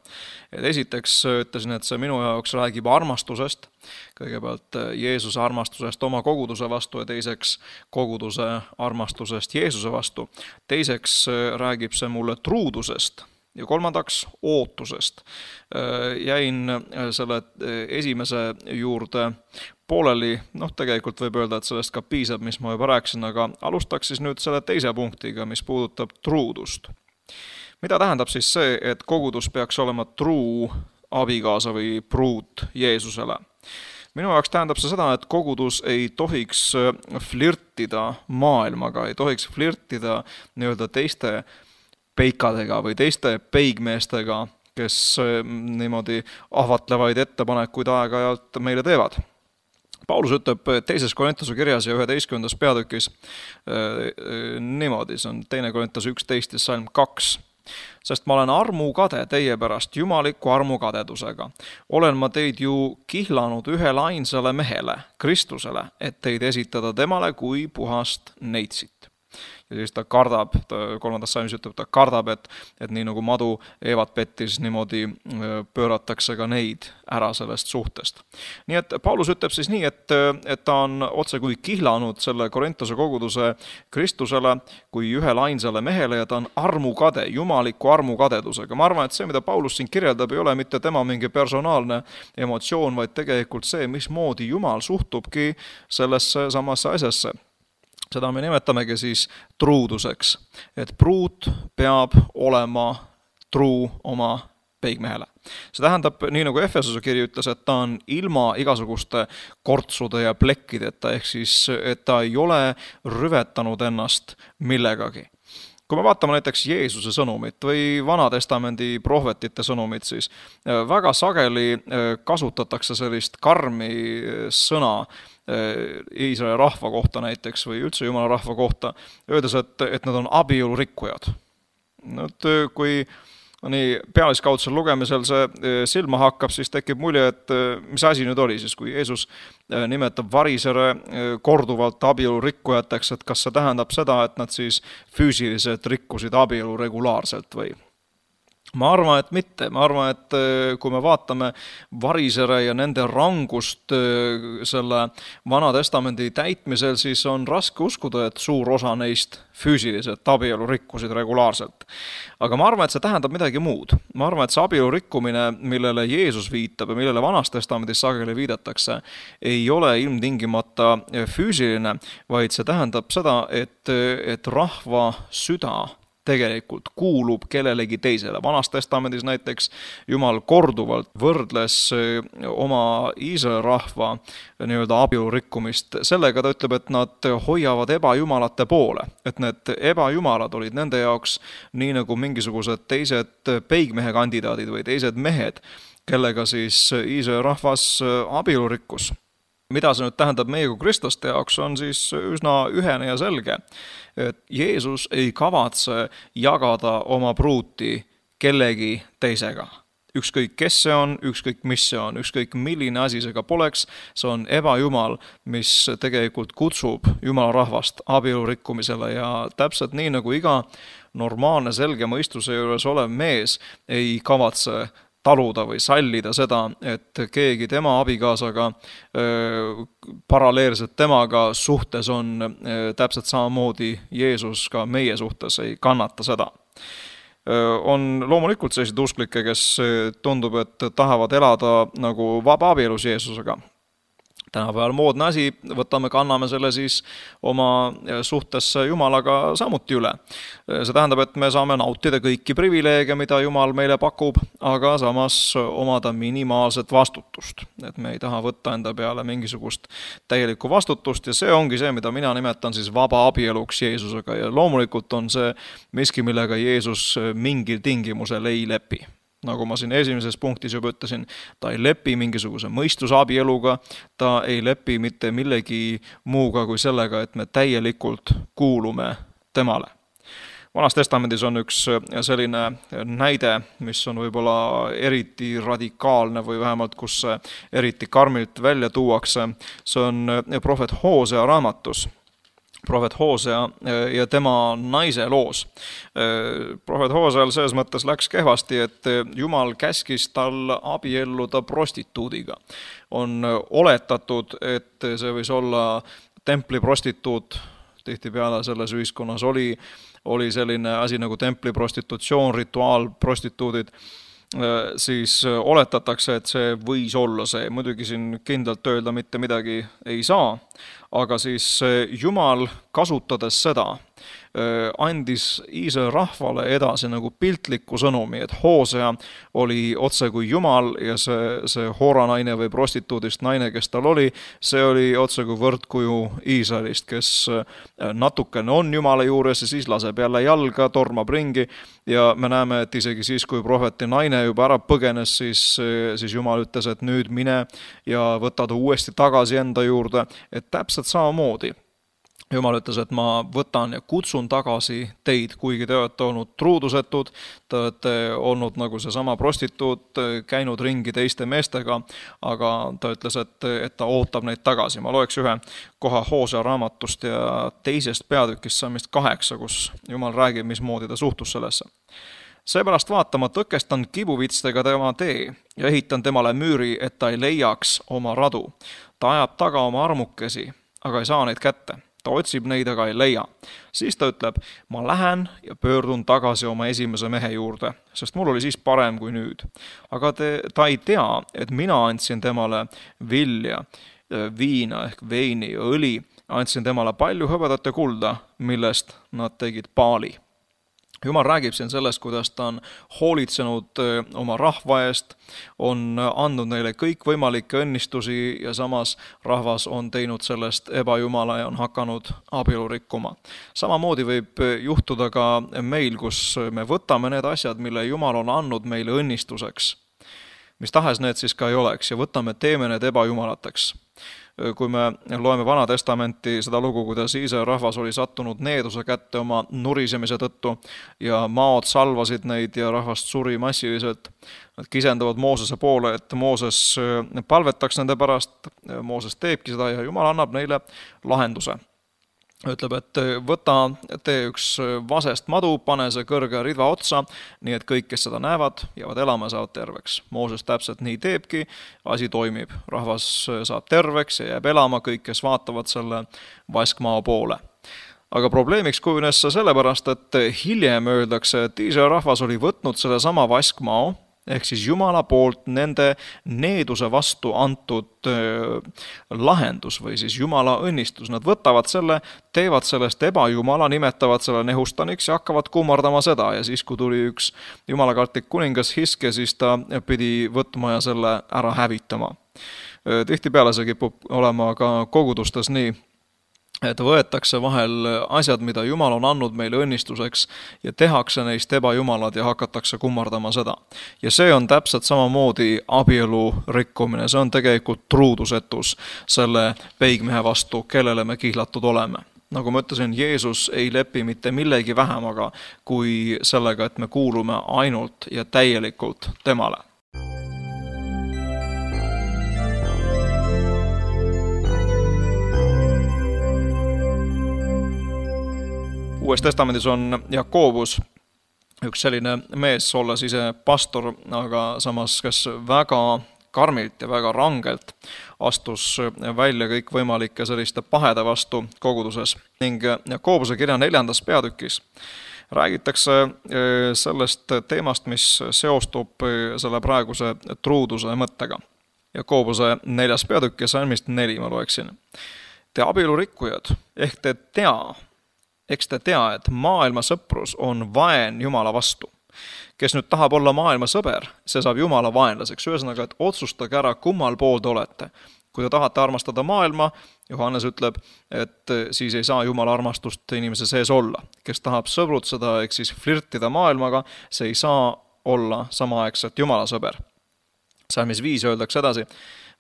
Et esiteks ütlesin, et see minu jaoks räägib armastusest, kõigepealt Jeesuse armastusest oma koguduse vastu ja teiseks koguduse armastusest Jeesuse vastu. Teiseks räägib see mulle truudusest Ja kolmandaks ootusest. Jäin selle esimese juurde pooleli, noh tegelikult võib öelda, et sellest ka piisab, mis ma juba rääkisin, aga alustaks siis nüüd selle teise punktiga, mis puudutab truudust. Mida tähendab siis see, et kogudus peaks olema truu abikaasa või pruut Jeesusele? Minu jaoks tähendab see seda, et kogudus ei tohiks flirtida maailmaga, ei tohiks flirtida nii-öelda teiste peikadega või teiste peigmeestega, kes niimoodi ahvatlevaid ettepanekuid aeg-ajalt meile teevad. Paulus ütleb teises Korintuse kirjas ja üheteistkümnendas peatükis niimoodi, see on teine Korintuse üksteist ja salm kaks. Sest ma olen armukade teie pärast jumaliku armukadedusega. Olen ma teid ju kihlanud ühele ainsale mehele, Kristusele, et teid esitada temale kui puhast neitsit. Ja siis ta kardab, ta kolmandas salmis ütleb, ta kardab, et, et nii nagu madu Eevat pettis, niimoodi pööratakse ka neid ära sellest suhtest. Nii et Paulus ütleb siis nii, et, et ta on otse kui kihlanud selle Korintuse koguduse Kristusele kui ühele ainsale mehele ja ta on armukade, jumaliku armukadedusega. Ma arvan, et see, mida Paulus siin kirjeldab, ei ole mitte tema mingi personaalne emotsioon, vaid tegelikult see, mismoodi Jumal suhtubki sellesse samasse asjasse. Seda me nimetamegi siis truuduseks, et pruut peab olema truu oma peigmehele. See tähendab, nii nagu Efesuse kiri ütles, et ta on ilma igasuguste kortsude ja plekkideta, ehk siis, et ta ei ole rüvetanud ennast millegagi. Kui me vaatame näiteks Jeesuse sõnumit või Vanatestamendi prohvetite sõnumit, siis väga sageli kasutatakse sellist karmi sõna Iisraeli rahva kohta näiteks või üldse Jumala rahva kohta, öeldes, et, et nad on abielurikkujad. Nüüd, kui nii pealiskaudsel lugemisel see silma hakkab, siis tekib mulje, et mis asi nüüd oli siis, kui Jeesus nimetab varisere korduvalt abielurikkujateks, et kas see tähendab seda, et nad siis füüsiliselt rikkusid abielu regulaarselt või? Ma arvan, et mitte. Ma arvan, et kui me vaatame varisere ja nende rangust selle Vana Testamendi täitmisel, siis on raske uskuda, et suur osa neist füüsiliselt abielu rikkusid regulaarselt. Aga ma arvan, et see tähendab midagi muud. Ma arvan, et see abielu rikkumine, millele Jeesus viitab ja millele Vanas Testamendis sageli viidatakse, ei ole ilmtingimata füüsiline, vaid see tähendab seda, et, et rahva süda tegelikult kuulub kellelegi teisele. Vanas Testamendis näiteks Jumal korduvalt võrdles oma Iisraeli rahva nii-öelda abielu rikkumist sellega, ta ütleb, et nad hoiavad ebajumalate poole, et need ebajumalad olid nende jaoks nii nagu mingisugused teised peigmehe kandidaadid või teised mehed, kellega siis Iisraeli rahvas abielu rikkus. Mida see nüüd tähendab meie kui kristlaste jaoks, on siis üsna ühene ja selge, et Jeesus ei kavatse jagada oma pruuti kellegi teisega. Ükskõik kes see on, ükskõik mis see on, ükskõik milline asi see ka poleks, see on ebajumal, mis tegelikult kutsub Jumala rahvast abielu rikkumisele ja täpselt nii nagu iga normaalne selge mõistuse juures olev mees ei kavatse taluda või sallida seda, et keegi tema abikaasaga paralleelselt temaga suhtes on täpselt samamoodi Jeesus ka meie suhtes ei kannata seda. On loomulikult sellised usklikke, kes tundub, et tahavad elada nagu vaba abielus Jeesusega. Tänapäeval moodne asi, võtame, kanname selle siis oma suhtesse Jumalaga samuti üle. See tähendab, et me saame nautida kõiki privileege, mida Jumal meile pakub, aga samas omada minimaalset vastutust. Et me ei taha võtta enda peale mingisugust täielikku vastutust ja see ongi see, mida mina nimetan siis vaba abieluks Jeesusega ja loomulikult on see miski, millega Jeesus mingil tingimusel ei lepi. Nagu ma siin esimeses punktis juba ütlesin, ta ei lepi mingisuguse mõistusabieluga, ta ei lepi mitte millegi muuga kui sellega, et me täielikult kuulume temale. Vanas Testamendis on üks selline näide, mis on võib-olla eriti radikaalne või vähemalt kus eriti karmilt välja tuuakse. See on prohvet Hoosea raamatus. Prohvet Hoosea ja tema naise loos. Prohvet Hooseal selles mõttes läks kehvasti, et Jumal käskis tal abielluda prostituudiga. On oletatud, et see võis olla templi prostituut, tihtipeale selles ühiskonnas oli, oli selline asi nagu templiprostitutsioon, rituaalprostituudid, siis oletatakse, et see võis olla see. Muidugi siin kindlalt öelda mitte midagi ei saa, aga siis Jumal kasutades seda andis Iisraeli rahvale edasi nagu piltliku sõnumi, et Hoosea oli otse kui Jumal ja see, see Hoora naine või prostituudist naine, kes tal oli, see oli otse kui võrdkuju Iisraelist, kes natukene on Jumala juures ja siis laseb jälle jalga, tormab ringi ja me näeme, et isegi siis, kui prohveti naine juba ära põgenes, siis, siis Jumal ütles, et nüüd mine ja võta ta uuesti tagasi enda juurde, et täpselt samamoodi Jumal ütles, et ma võtan ja kutsun tagasi teid, kuigi te olete olnud truudusetud, te olete olnud nagu seesama prostituut, käinud ringi teiste meestega, aga ta ütles, et, et ta ootab neid tagasi. Ma loeks ühe koha Hoosea raamatust ja teisest peatükist saamist kaheksa, kus Jumal räägib, mismoodi ta suhtus sellesse. Seepärast vaata, ma tõkestan kibuvitstega tema tee ja ehitan temale müüri, et ta ei leiaks oma radu. Ta ajab taga oma armukesi, aga ei saa neid kätte. Ta otsib neid, aga ei leia. Siis ta ütleb, ma lähen ja pöördun tagasi oma esimese mehe juurde, sest mul oli siis parem kui nüüd. Aga te, ta ei tea, et mina andsin temale vilja, viina ehk veini ja õli, andsin temale palju hõbedat ja kulda, millest nad tegid paali. Jumal räägib siin sellest, kuidas ta on hoolitsenud oma rahva eest, on andnud neile kõik võimalikke õnnistusi ja samas rahvas on teinud sellest ebajumala ja on hakanud abielu rikkuma. Samamoodi võib juhtuda ka meil, kus me võtame need asjad, mille Jumal on andnud meile õnnistuseks, mis tahes need siis ka ei oleks, ja võtame, teeme need ebajumalateks. Kui me loeme Vana Testamenti seda lugu, kuidas Iisraeli rahvas oli sattunud needuse kätte oma nurisemise tõttu ja maod salvasid neid ja rahvast suri massiliselt. Nad kisendavad Moosese poole, et Mooses palvetaks nende pärast. Mooses teebki seda ja Jumal annab neile lahenduse. Ütleb, et võta, tee üks vasest madu, pane see kõrge ridva otsa, nii et kõik, kes seda näevad, jäävad elama ja saavad terveks. Mooses täpselt nii teebki, asi toimib. Rahvas saab terveks ja jääb elama kõik, kes vaatavad selle vaskmao poole. Aga probleemiks kujunes see sellepärast, et hiljem öeldakse, et Iisraeli rahvas oli võtnud selle sama vaskmao, ehk siis Jumala poolt nende needuse vastu antud lahendus või siis Jumala õnnistus. Nad võtavad selle, teevad sellest ebajumala, nimetavad selle nehustaniks ja hakkavad kummardama seda. Ja siis, kui tuli üks jumalakartlik kuningas Hiske, siis ta pidi võtma ja selle ära hävitama. Tihtipeale see kipub olema ka kogudustes nii, et võetakse vahel asjad, mida Jumal on andnud meile õnnistuseks ja tehakse neist ebajumalad ja hakatakse kummardama seda. Ja see on täpselt samamoodi abielu rikkumine, see on tegelikult truudusetus selle peigmehe vastu, kellele me kihlatud oleme. Nagu ma ütlesin, Jeesus ei lepi mitte millegi vähemaga kui sellega, et me kuulume ainult ja täielikult temale. Uues testamendis on Jakobus üks selline mees, olles ise pastor, aga samas kes väga karmilt ja väga rangelt astus välja kõik võimalike selliste pahede vastu koguduses. Ning Jakobuse kirja neljandas peatükis räägitakse sellest teemast, mis seostub selle praeguse truuduse mõttega. Jakobuse neljas peatükk ja salmist neli ma loeksin. Te abielurikkujad, ehk te tea, Eks te tea, et maailma sõprus on vaen Jumala vastu. Kes nüüd tahab olla maailma sõber, see saab Jumala vaenlaseks. Ühesõnaga, et otsustage ära, kummal pool te olete. Kui te tahate armastada maailma, Johannes ütleb, et siis ei saa Jumala armastust inimese sees olla. Kes tahab sõbrutseda, ehk siis flirtida maailmaga, see ei saa olla samaaegselt Jumala sõber. Salmis viis öeldakse edasi,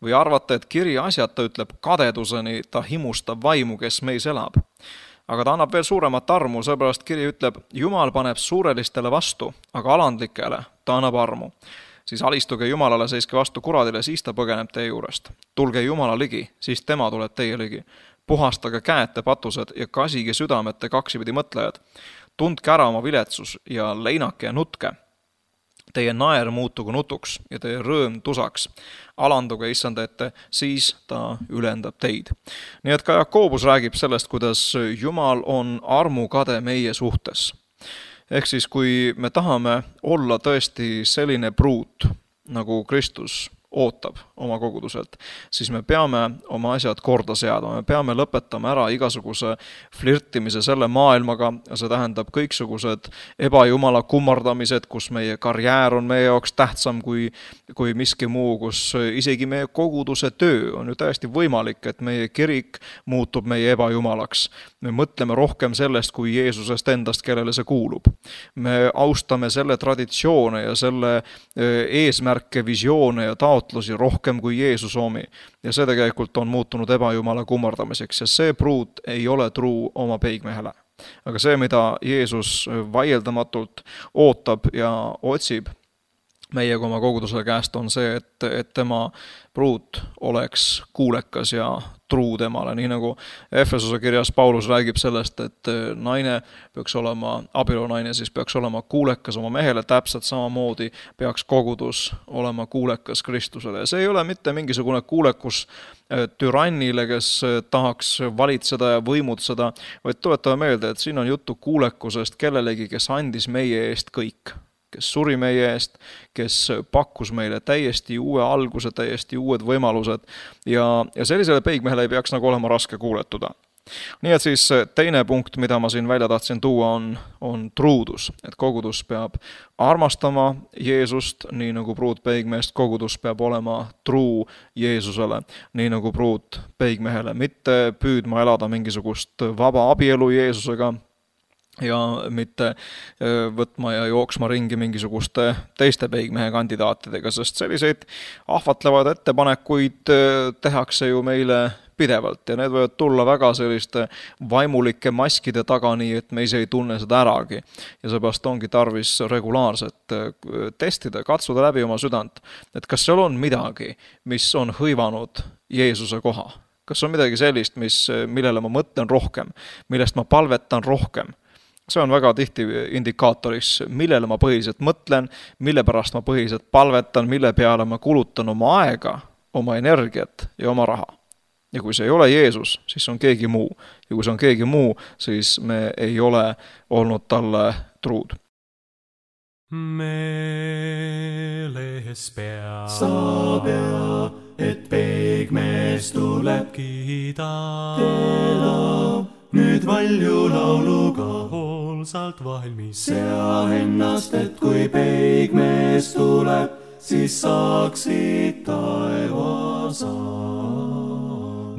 või arvate, et kiri asjata ütleb kadeduseni, ta himustab vaimu, kes meis elab. Aga ta annab veel suuremat armu, seepärast kiri ütleb, Jumal paneb suurelistele vastu, aga alandlikele ta annab armu. Siis alistuge Jumalale, seiske vastu kuradile, siis ta põgeneb teie juurest. Tulge Jumala ligi, siis tema tuleb teie ligi. Puhastage käete patused ja kasige südamete kaksipidi mõtlejad. Tundke ära oma viletsus ja leinake ja nutke. teie naer muutugu nutuks ja teie rõõm tusaks. Alanduge issanda ette, siis ta ülendab teid. Nii et ka Jakobus räägib sellest, kuidas Jumal on armukade meie suhtes. Ehk siis, kui me tahame olla tõesti selline pruut, nagu Kristus ootab oma koguduselt, siis me peame oma asjad korda seada, me peame lõpetama ära igasuguse flirtimise selle maailmaga, see tähendab kõiksugused ebajumala kummardamised, kus meie karjäär on meie jaoks tähtsam kui, kui miski muu, kus isegi meie koguduse töö on ju täiesti võimalik, et meie kirik muutub meie ebajumalaks. Me mõtleme rohkem sellest kui Jeesusest endast, kellele see kuulub. Me austame selle traditsioone ja selle eesmärke, visioone ja taotlusi rohkem kui Jeesus omi. Ja see tegelikult on muutunud ebajumala kummardamiseks ja see pruut ei ole truu oma peigmehele. Aga see, mida Jeesus vaieldamatult ootab ja otsib meie oma koguduse käest, on see, et, et tema pruut oleks kuulekas ja truu temale. Nii nagu Efesuse kirjas Paulus räägib sellest, et naine peaks olema, abielunaine siis peaks olema kuulekas oma mehele, täpselt samamoodi peaks kogudus olema kuulekas Kristusele. Ja see ei ole mitte mingisugune kuulekus türannile, kes tahaks valitseda ja võimutseda, vaid tuletame meelde, et siin on juttu kuulekusest kellelegi, kes andis meie eest kõik. Kes suri meie eest, kes pakkus meile täiesti uue alguse, täiesti uued võimalused ja, ja sellisele peigmehele ei peaks nagu olema raske kuuletuda. Nii et siis teine punkt, mida ma siin välja tahtsin tuua, on, on truudus. Et kogudus peab armastama Jeesust, nii nagu pruut peigmeest, kogudus peab olema truu Jeesusele, nii nagu pruut peigmehele, mitte püüdma elada mingisugust vaba abielu Jeesusega, ja mitte võtma ja jooksma ringi mingisuguste teiste peigmehe kandidaatidega, sest selliseid ahvatlevad ettepanekuid tehakse ju meile pidevalt ja need võivad tulla väga selliste vaimulike maskide taga, nii et me ise ei tunne seda äragi. Ja seepärast ongi tarvis regulaarselt testida, katsuda läbi oma südant, et kas seal on midagi, mis on hõivanud Jeesuse koha. Kas on midagi sellist, mis, millele ma mõtlen rohkem, millest ma palvetan rohkem. See on väga tihti indikaatoris, millele ma põhiliselt mõtlen, mille pärast ma põhiliselt palvetan, mille peale ma kulutan oma aega, oma energiat ja oma raha. Ja kui see ei ole Jeesus, siis on keegi muu. Ja kui see on keegi muu, siis me ei ole olnud talle truud. Meeles pea, sa pea, et peigmees tuleb kiida. Teda nüüd valju lauluga hoolsalt valmis. Sea ennast, et kui peigmees tuleb, siis saaksid taevasa.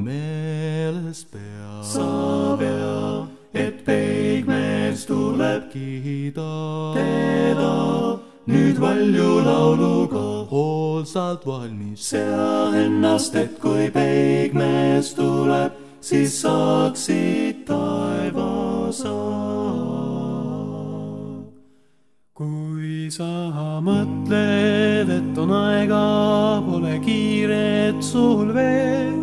Meeles pea, sa pea, et peigmees tuleb kiida. Teda nüüd valju lauluga hoolsalt valmis. Sea ennast, et kui peigmees tuleb, siis saaksid taevasa. Kui sa mõtled, et on aega, pole kiiret sul veel,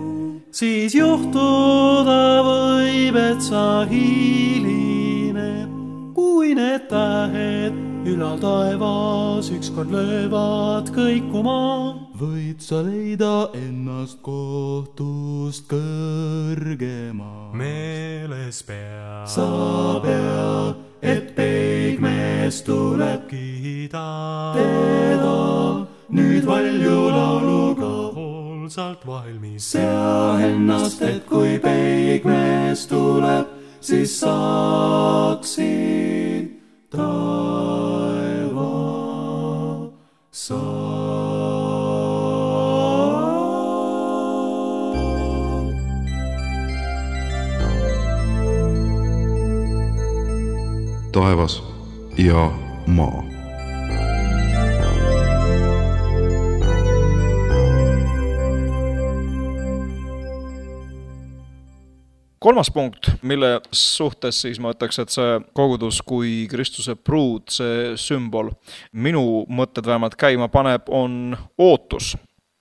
siis juhtuda võib, et sa hiline. Kui need tähed ülal taevas ükskord löövad kõikuma, võid sa leida ennast kohtust kõrgema. Meeles pea, sa pea, et peigmees tuleb kiida. Teda nüüd valju lauluga hoolsalt valmis. Sea ennast, et kui peigmees tuleb, siis saaksid taeva saa. Taevas ja maa. Kolmas punkt, mille suhtes siis ma ütleks, et see kogudus kui Kristuse pruut, see sümbol, minu mõtted vähemalt käima paneb, on ootus.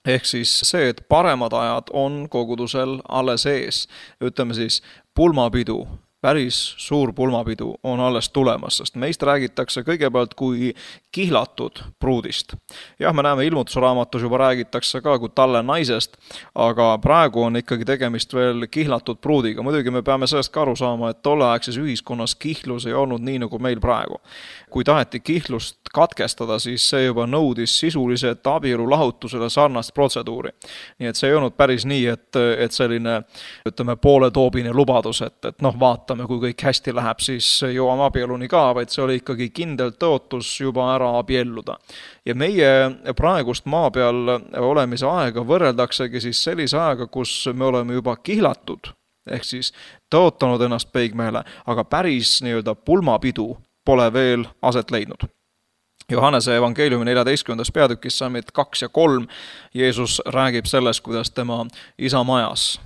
Ehk siis see, et paremad ajad on kogudusel alles ees. Ütleme siis, pulmapidu päris suur pulmapidu on alles tulemas, sest meist räägitakse kõigepealt kui kihlatud pruudist. Jah, me näeme ilmutusraamatus juba räägitakse ka kui talle naisest, aga praegu on ikkagi tegemist veel kihlatud pruudiga. Muidugi me peame sellest ka aru saama, et tolleaegses ühiskonnas kihlus ei olnud nii nagu meil praegu. Kui taheti kihlust katkestada, siis see juba nõudis sisuliselt abielu lahutusele sarnast protseduuri. Nii et see ei olnud päris nii, et, et selline, ütleme, pooletoobine lubadus, et, et noh, vaatame, kui kõik hästi läheb, siis jõuame abieluni ka, vaid see oli ikkagi kindel tõotus juba ära abielluda. Ja meie praegust maa peal olemise aega võrreldaksegi siis sellise aega, kus me oleme juba kihlatud, ehk siis tõotanud ennast peigmehele, aga päris nii-öelda pulmapidu pole veel aset leidnud. Johannese evangeeliumi neljateistkümnendas peatükis sammid kaks ja kolm Jeesus räägib sellest, kuidas tema isa majas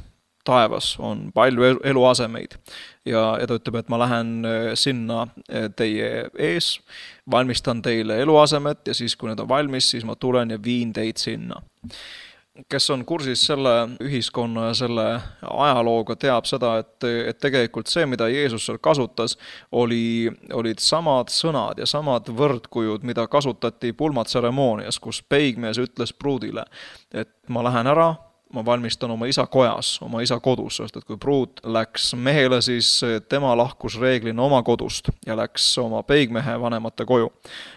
taevas on palju eluasemeid ja, ja ta ütleb, et ma lähen sinna teie ees, valmistan teile eluasemet ja siis, kui need on valmis, siis ma tulen ja viin teid sinna. Kes on kursis selle ühiskonna ja selle ajalooga, teab seda, et, et tegelikult see, mida Jeesus seal kasutas, oli, olid samad sõnad ja samad võrdkujud, mida kasutati pulmatseremoonias, kus peigmees ütles pruudile, et ma lähen ära, ma valmistan oma isa kojas, oma isa kodus, sest et kui pruut läks mehele, siis tema lahkus reeglina oma kodust ja läks oma peigmehe vanemate koju.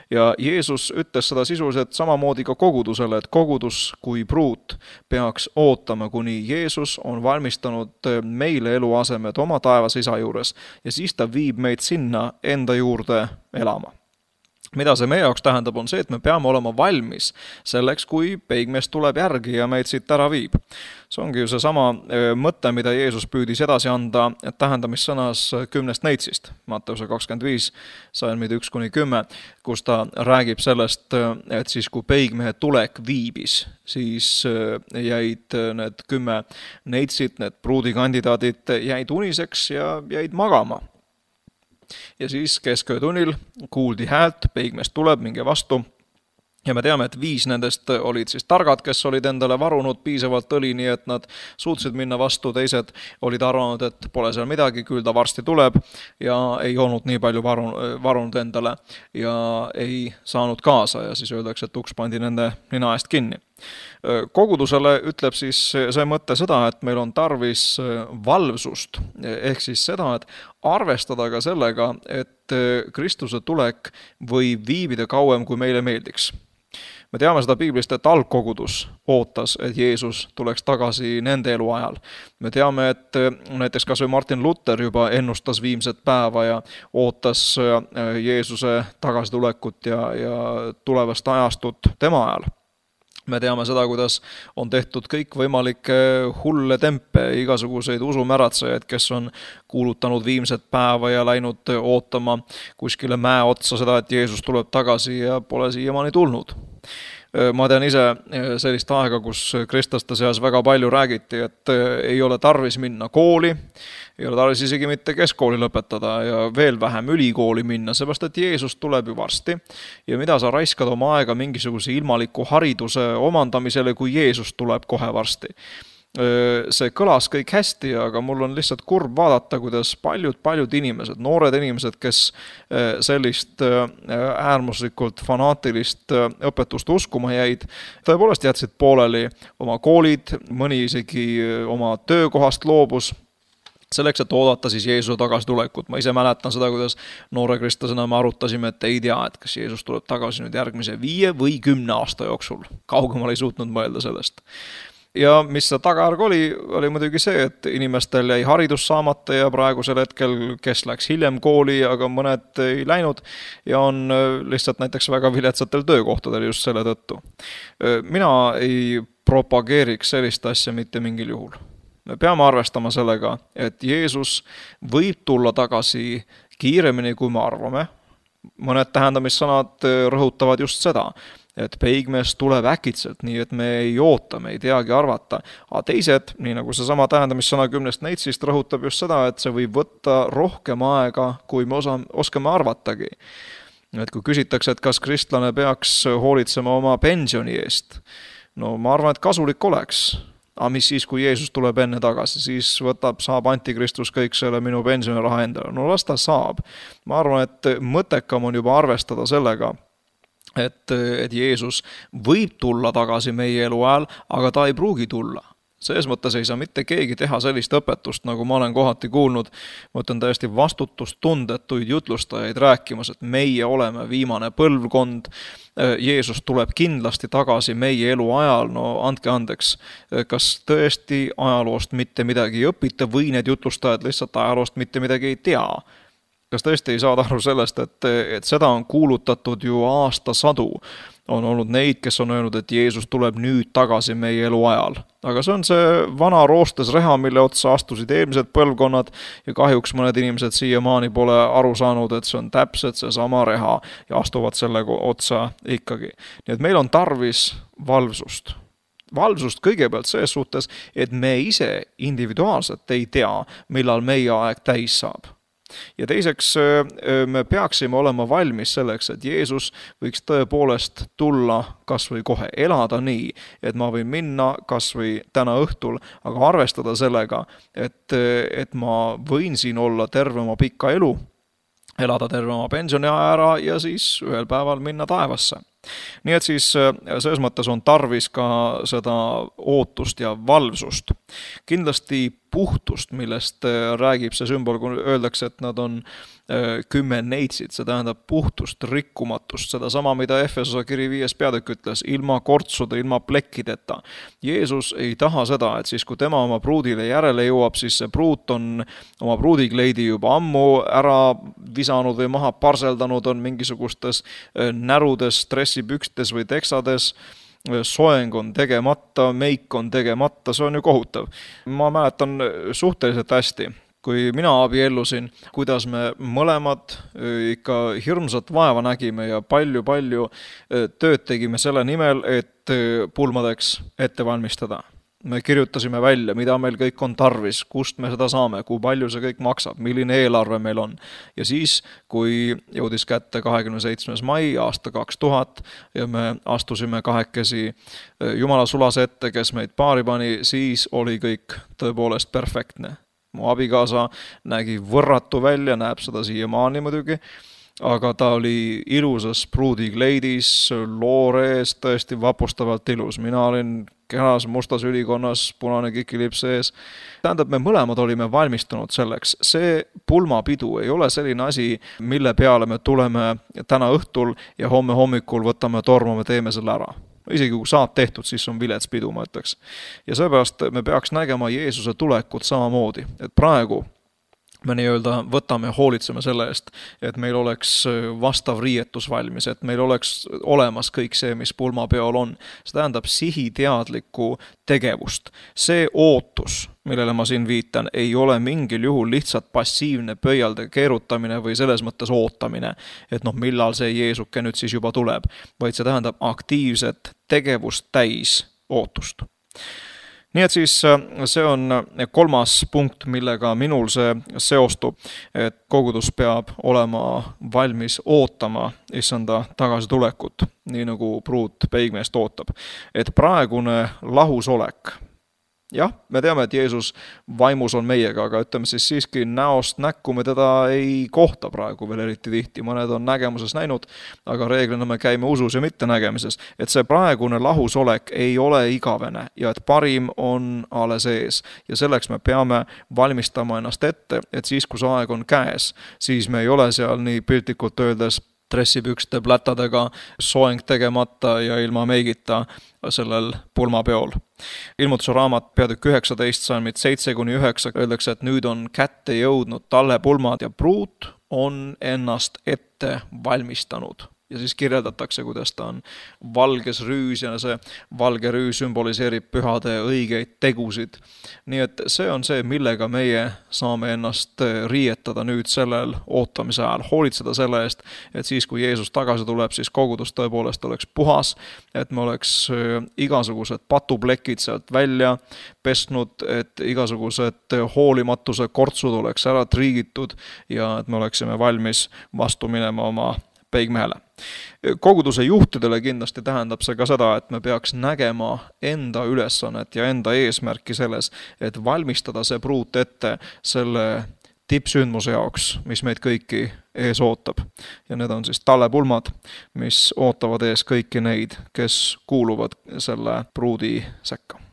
Ja Jeesus ütles seda sisuliselt samamoodi ka kogudusele, et kogudus kui pruut peaks ootama, kuni Jeesus on valmistanud meile eluasemed oma taevas isa juures ja siis ta viib meid sinna enda juurde elama. Mida see meie jaoks tähendab, on see, et me peame olema valmis selleks, kui peigmees tuleb järgi ja meid siit ära viib. See ongi ju see sama mõte, mida Jeesus püüdis edasi anda tähendamissõnas kümnest neitsist, Matteuse kakskümmend viis, salmid üks kuni kümme, kus ta räägib sellest, et siis kui peigmehe tulek viibis, siis jäid need kümme neitsid, need pruudikandidaadid jäid uniseks ja jäid magama. Ja siis kesköötunnil kuuldi häält, peigmees tuleb, minge vastu. Ja me teame, et viis nendest olid siis targad, kes olid endale varunud piisavalt õli, nii et nad suutsid minna vastu, teised olid arvanud, et pole seal midagi, küll ta varsti tuleb ja ei olnud nii palju varunud endale ja ei saanud kaasa ja siis öeldakse, et uks pandi nende nina eest kinni. Kogudusele ütleb siis see mõte seda, et meil on tarvis valvsust, ehk siis seda, et arvestada ka sellega, et Kristuse tulek võib viibida kauem, kui meile meeldiks. Me teame seda Piiblist, et algkogudus ootas, et Jeesus tuleks tagasi nende elu ajal. Me teame, et näiteks kas või Martin Luther juba ennustas viimset päeva ja ootas Jeesuse tagasitulekut ja, ja tulevast ajastut tema ajal. Me teame seda, kuidas on tehtud kõik võimalikke hulle tempe, igasuguseid usumäratsejaid, kes on kuulutanud viimset päeva ja läinud ootama kuskile mäe otsa seda, et Jeesus tuleb tagasi ja pole siiamaani tulnud. Ma tean ise sellist aega, kus kristlaste seas väga palju räägiti, et ei ole tarvis minna kooli, ei ole tarvis isegi mitte keskkooli lõpetada ja veel vähem ülikooli minna, seepärast et Jeesus tuleb ju varsti ja mida sa raiskad oma aega mingisuguse ilmaliku hariduse omandamisele, kui Jeesus tuleb kohe varsti. See kõlas kõik hästi, aga mul on lihtsalt kurb vaadata, kuidas paljud-paljud inimesed, noored inimesed, kes sellist äärmuslikult fanaatilist õpetust uskuma jäid, tõepoolest jätsid pooleli oma koolid, mõni isegi oma töökohast loobus, selleks, et oodata siis Jeesuse tagasitulekut. Ma ise mäletan seda, kuidas noore kristlasena me arutasime, et ei tea, et kas Jeesus tuleb tagasi nüüd järgmise viie või kümne aasta jooksul. Kaugemal ei suutnud mõelda sellest. Ja mis see tagajärg oli, oli muidugi see, et inimestel jäi haridus saamata ja praegusel hetkel, kes läks hiljem kooli, aga mõned ei läinud ja on lihtsalt näiteks väga viletsatel töökohtadel just selle tõttu. Mina ei propageeriks sellist asja mitte mingil juhul. Me peame arvestama sellega, et Jeesus võib tulla tagasi kiiremini, kui me arvame. Mõned tähendamissõnad rõhutavad just seda, et peigmees tuleb äkitselt, nii et me ei oota, me ei teagi arvata. Aga teised, nii nagu see sama tähendamissõna kümnest neitsist, rõhutab just seda, et see võib võtta rohkem aega, kui me osa, oskame arvatagi. Et kui küsitakse, et kas kristlane peaks hoolitsema oma pensioni eest, no ma arvan, et kasulik oleks. aga mis siis, kui Jeesus tuleb enne tagasi, siis võtab, saab antikristus kõik selle minu pensioniraha endale. No las ta saab. Ma arvan, et mõttekam on juba arvestada sellega, et, et Jeesus võib tulla tagasi meie elu ajal, aga ta ei pruugi tulla. Selles mõttes ei saa mitte keegi teha sellist õpetust, nagu ma olen kohati kuulnud. Ma ütlen täiesti vastutustundetuid jutlustajaid rääkimas, et meie oleme viimane põlvkond. Jeesus tuleb kindlasti tagasi meie elu ajal. No andke andeks, kas tõesti ajaloost mitte midagi ei õpita või need jutlustajad lihtsalt ajaloost mitte midagi ei tea? Kas tõesti ei saada aru sellest, et, et seda on kuulutatud ju aastasadu? On olnud neid, kes on öelnud, et Jeesus tuleb nüüd tagasi meie elu ajal. Aga see on see vana roostes reha, mille otsa astusid eelmised põlvkonnad ja kahjuks mõned inimesed siiamaani pole aru saanud, et see on täpselt see sama reha ja astuvad selle otsa ikkagi. Nii et meil on tarvis valvsust. Valvsust kõigepealt selles suhtes, et me ise individuaalselt ei tea, millal meie aeg täis saab. Ja teiseks me peaksime olema valmis selleks, et Jeesus võiks tõepoolest tulla kas või kohe elada nii, et ma võin minna kas või täna õhtul, aga arvestada sellega, et, et ma võin siin olla terve oma pikka elu, elada terve oma pensioni ära ja siis ühel päeval minna taevasse. Nii et siis selles mõttes on tarvis ka seda ootust ja valvsust. Kindlasti puhtust, millest räägib see sümbol, kui öeldakse, et nad on kümme neitsid, see tähendab puhtust, rikkumatust, seda sama, mida Efesose kiri viies peatükk ütles, ilma kortsude, ilma plekkideta. Jeesus ei taha seda, et siis kui tema oma pruudile järele jõuab, siis see pruut on oma pruudikleidi juba ammu ära visanud või maha parseldanud, on mingisugustes närudes, stressipükstes või teksades, soeng on tegemata, meik on tegemata, see on ju kohutav. Ma mäletan suhteliselt hästi, kui mina abiellusin, kuidas me mõlemad ikka hirmsat vaeva nägime ja palju-palju tööd tegime selle nimel, et pulmadeks ette valmistada. Me kirjutasime välja, mida meil kõik on tarvis, kust me seda saame, kui palju see kõik maksab, milline eelarve meil on. Ja siis, kui jõudis kätte kahekümne seitsmes mai aasta kaks tuhat ja me astusime kahekesi Jumala sulase ette, kes meid paari pani, siis oli kõik tõepoolest perfektne. Mu abikaasa nägi võrratu välja, näeb seda siiamaani muidugi, aga ta oli ilusas pruudikleidis, loorees, tõesti vapustavalt ilus. Mina olin kenas mustas ülikonnas, punane kikilips ees. Tähendab, me mõlemad olime valmistunud selleks. See pulmapidu ei ole selline asi, mille peale me tuleme täna õhtul ja homme hommikul võtame tormame, teeme selle ära. Isegi kui saab tehtud, siis on vilets pidu, ma ütleks. Ja seepärast me peaks nägema Jeesuse tulekut samamoodi, et praegu me nii-öelda võtame, hoolitseme selle eest, et meil oleks vastav riietus valmis, et meil oleks olemas kõik see, mis pulmapeol on. See tähendab sihiteadlikku tegevust. See ootus, millele ma siin viitan, ei ole mingil juhul lihtsalt passiivne pöialde keerutamine või selles mõttes ootamine, et noh, millal see Jeesuke nüüd siis juba tuleb, vaid see tähendab aktiivset tegevust täis ootust. Nii et siis see on kolmas punkt, millega minul see seostub, et kogudus peab olema valmis ootama issanda tagasitulekut, nii nagu pruut peigmeest ootab. Et praegune lahusolek, jah, me teame, et Jeesus vaimus on meiega, aga ütleme siis siiski näost näkku me teda ei kohta praegu veel eriti tihti. Mõned on nägemuses näinud, aga reeglina me käime usus ja mitte nägemises. Et see praegune lahusolek ei ole igavene ja et parim on alles ees. Ja selleks me peame valmistama ennast ette, et siis, kui see aeg on käes, siis me ei ole seal nii piltlikult öeldes dressipükste plätadega, soeng tegemata ja ilma meigita sellel pulmapeol. Ilmutuse raamat peatükk üheksateist, salmid seitse kuni üheksa, öeldakse, et nüüd on kätte jõudnud talle pulmad ja pruut on ennast ette valmistanud. Ja siis kirjeldatakse, kuidas ta on valges rüüs ja see valge rüüs sümboliseerib pühade õigeid tegusid. Nii et see on see, millega meie saame ennast riietada nüüd sellel ootamise ajal. Hoolitseda selle eest, et siis, kui Jeesus tagasi tuleb, siis kogudus tõepoolest oleks puhas, et me oleks igasugused patuplekid sealt välja pesnud, et igasugused hoolimatuse kortsud oleks ära triigitud ja et me oleksime valmis vastu minema oma peigmehele. Koguduse juhtidele kindlasti tähendab see ka seda, et me peaks nägema enda ülesannet ja enda eesmärki selles, et valmistada see pruut ette selle tippsündmuse jaoks, mis meid kõiki ees ootab. Ja need on siis tallepulmad, mis ootavad ees kõiki neid, kes kuuluvad selle pruudi sekka.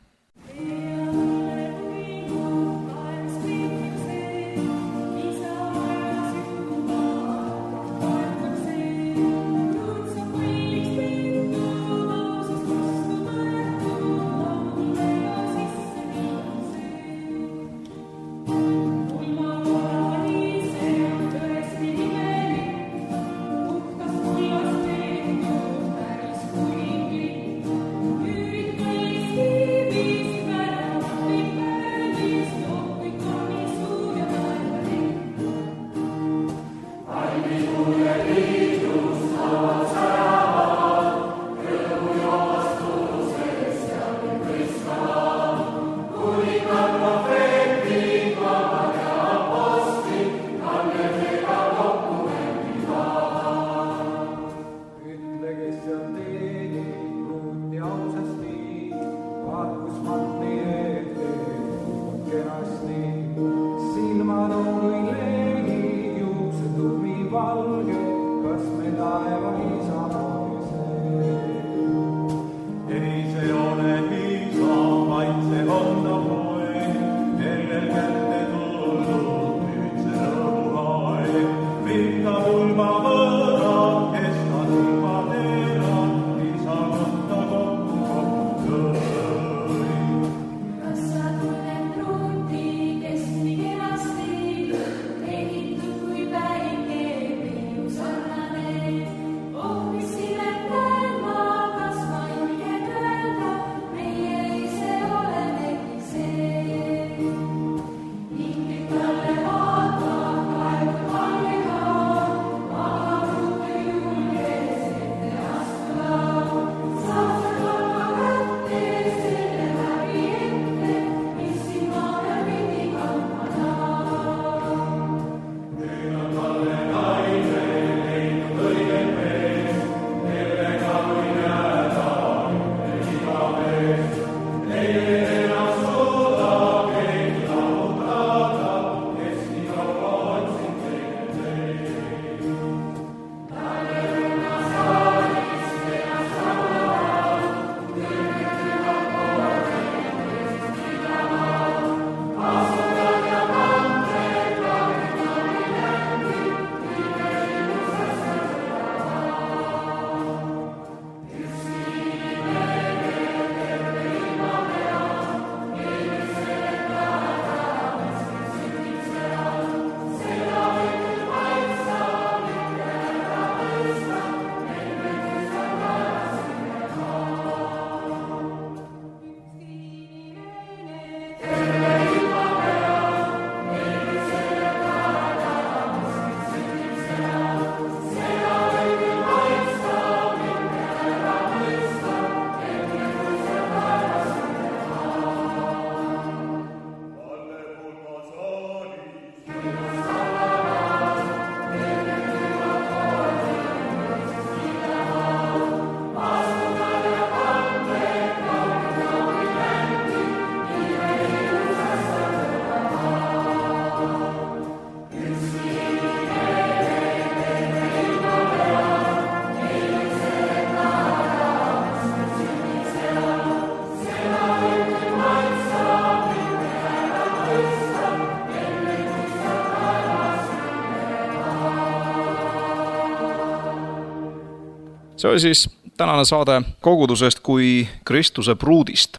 See oli siis tänane saade kogudusest kui Kristuse pruudist.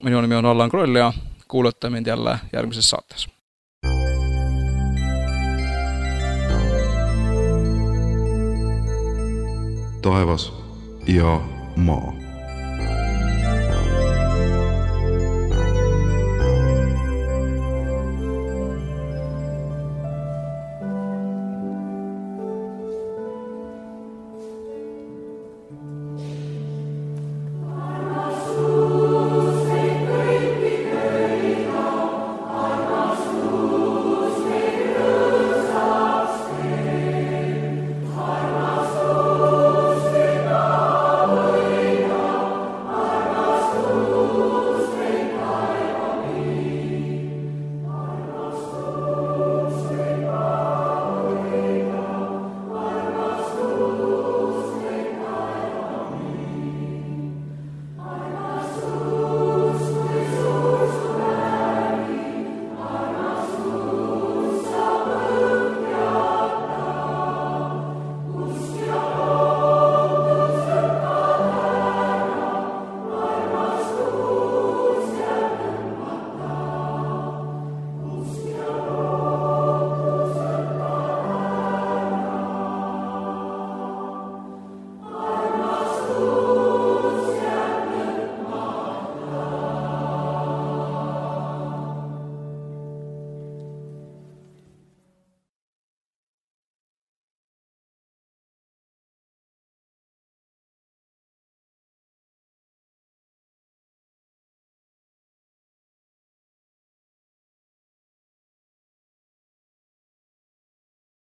Minu nimi on Allan Kroll ja kuulete mind jälle järgmises saates. Taevas ja maa.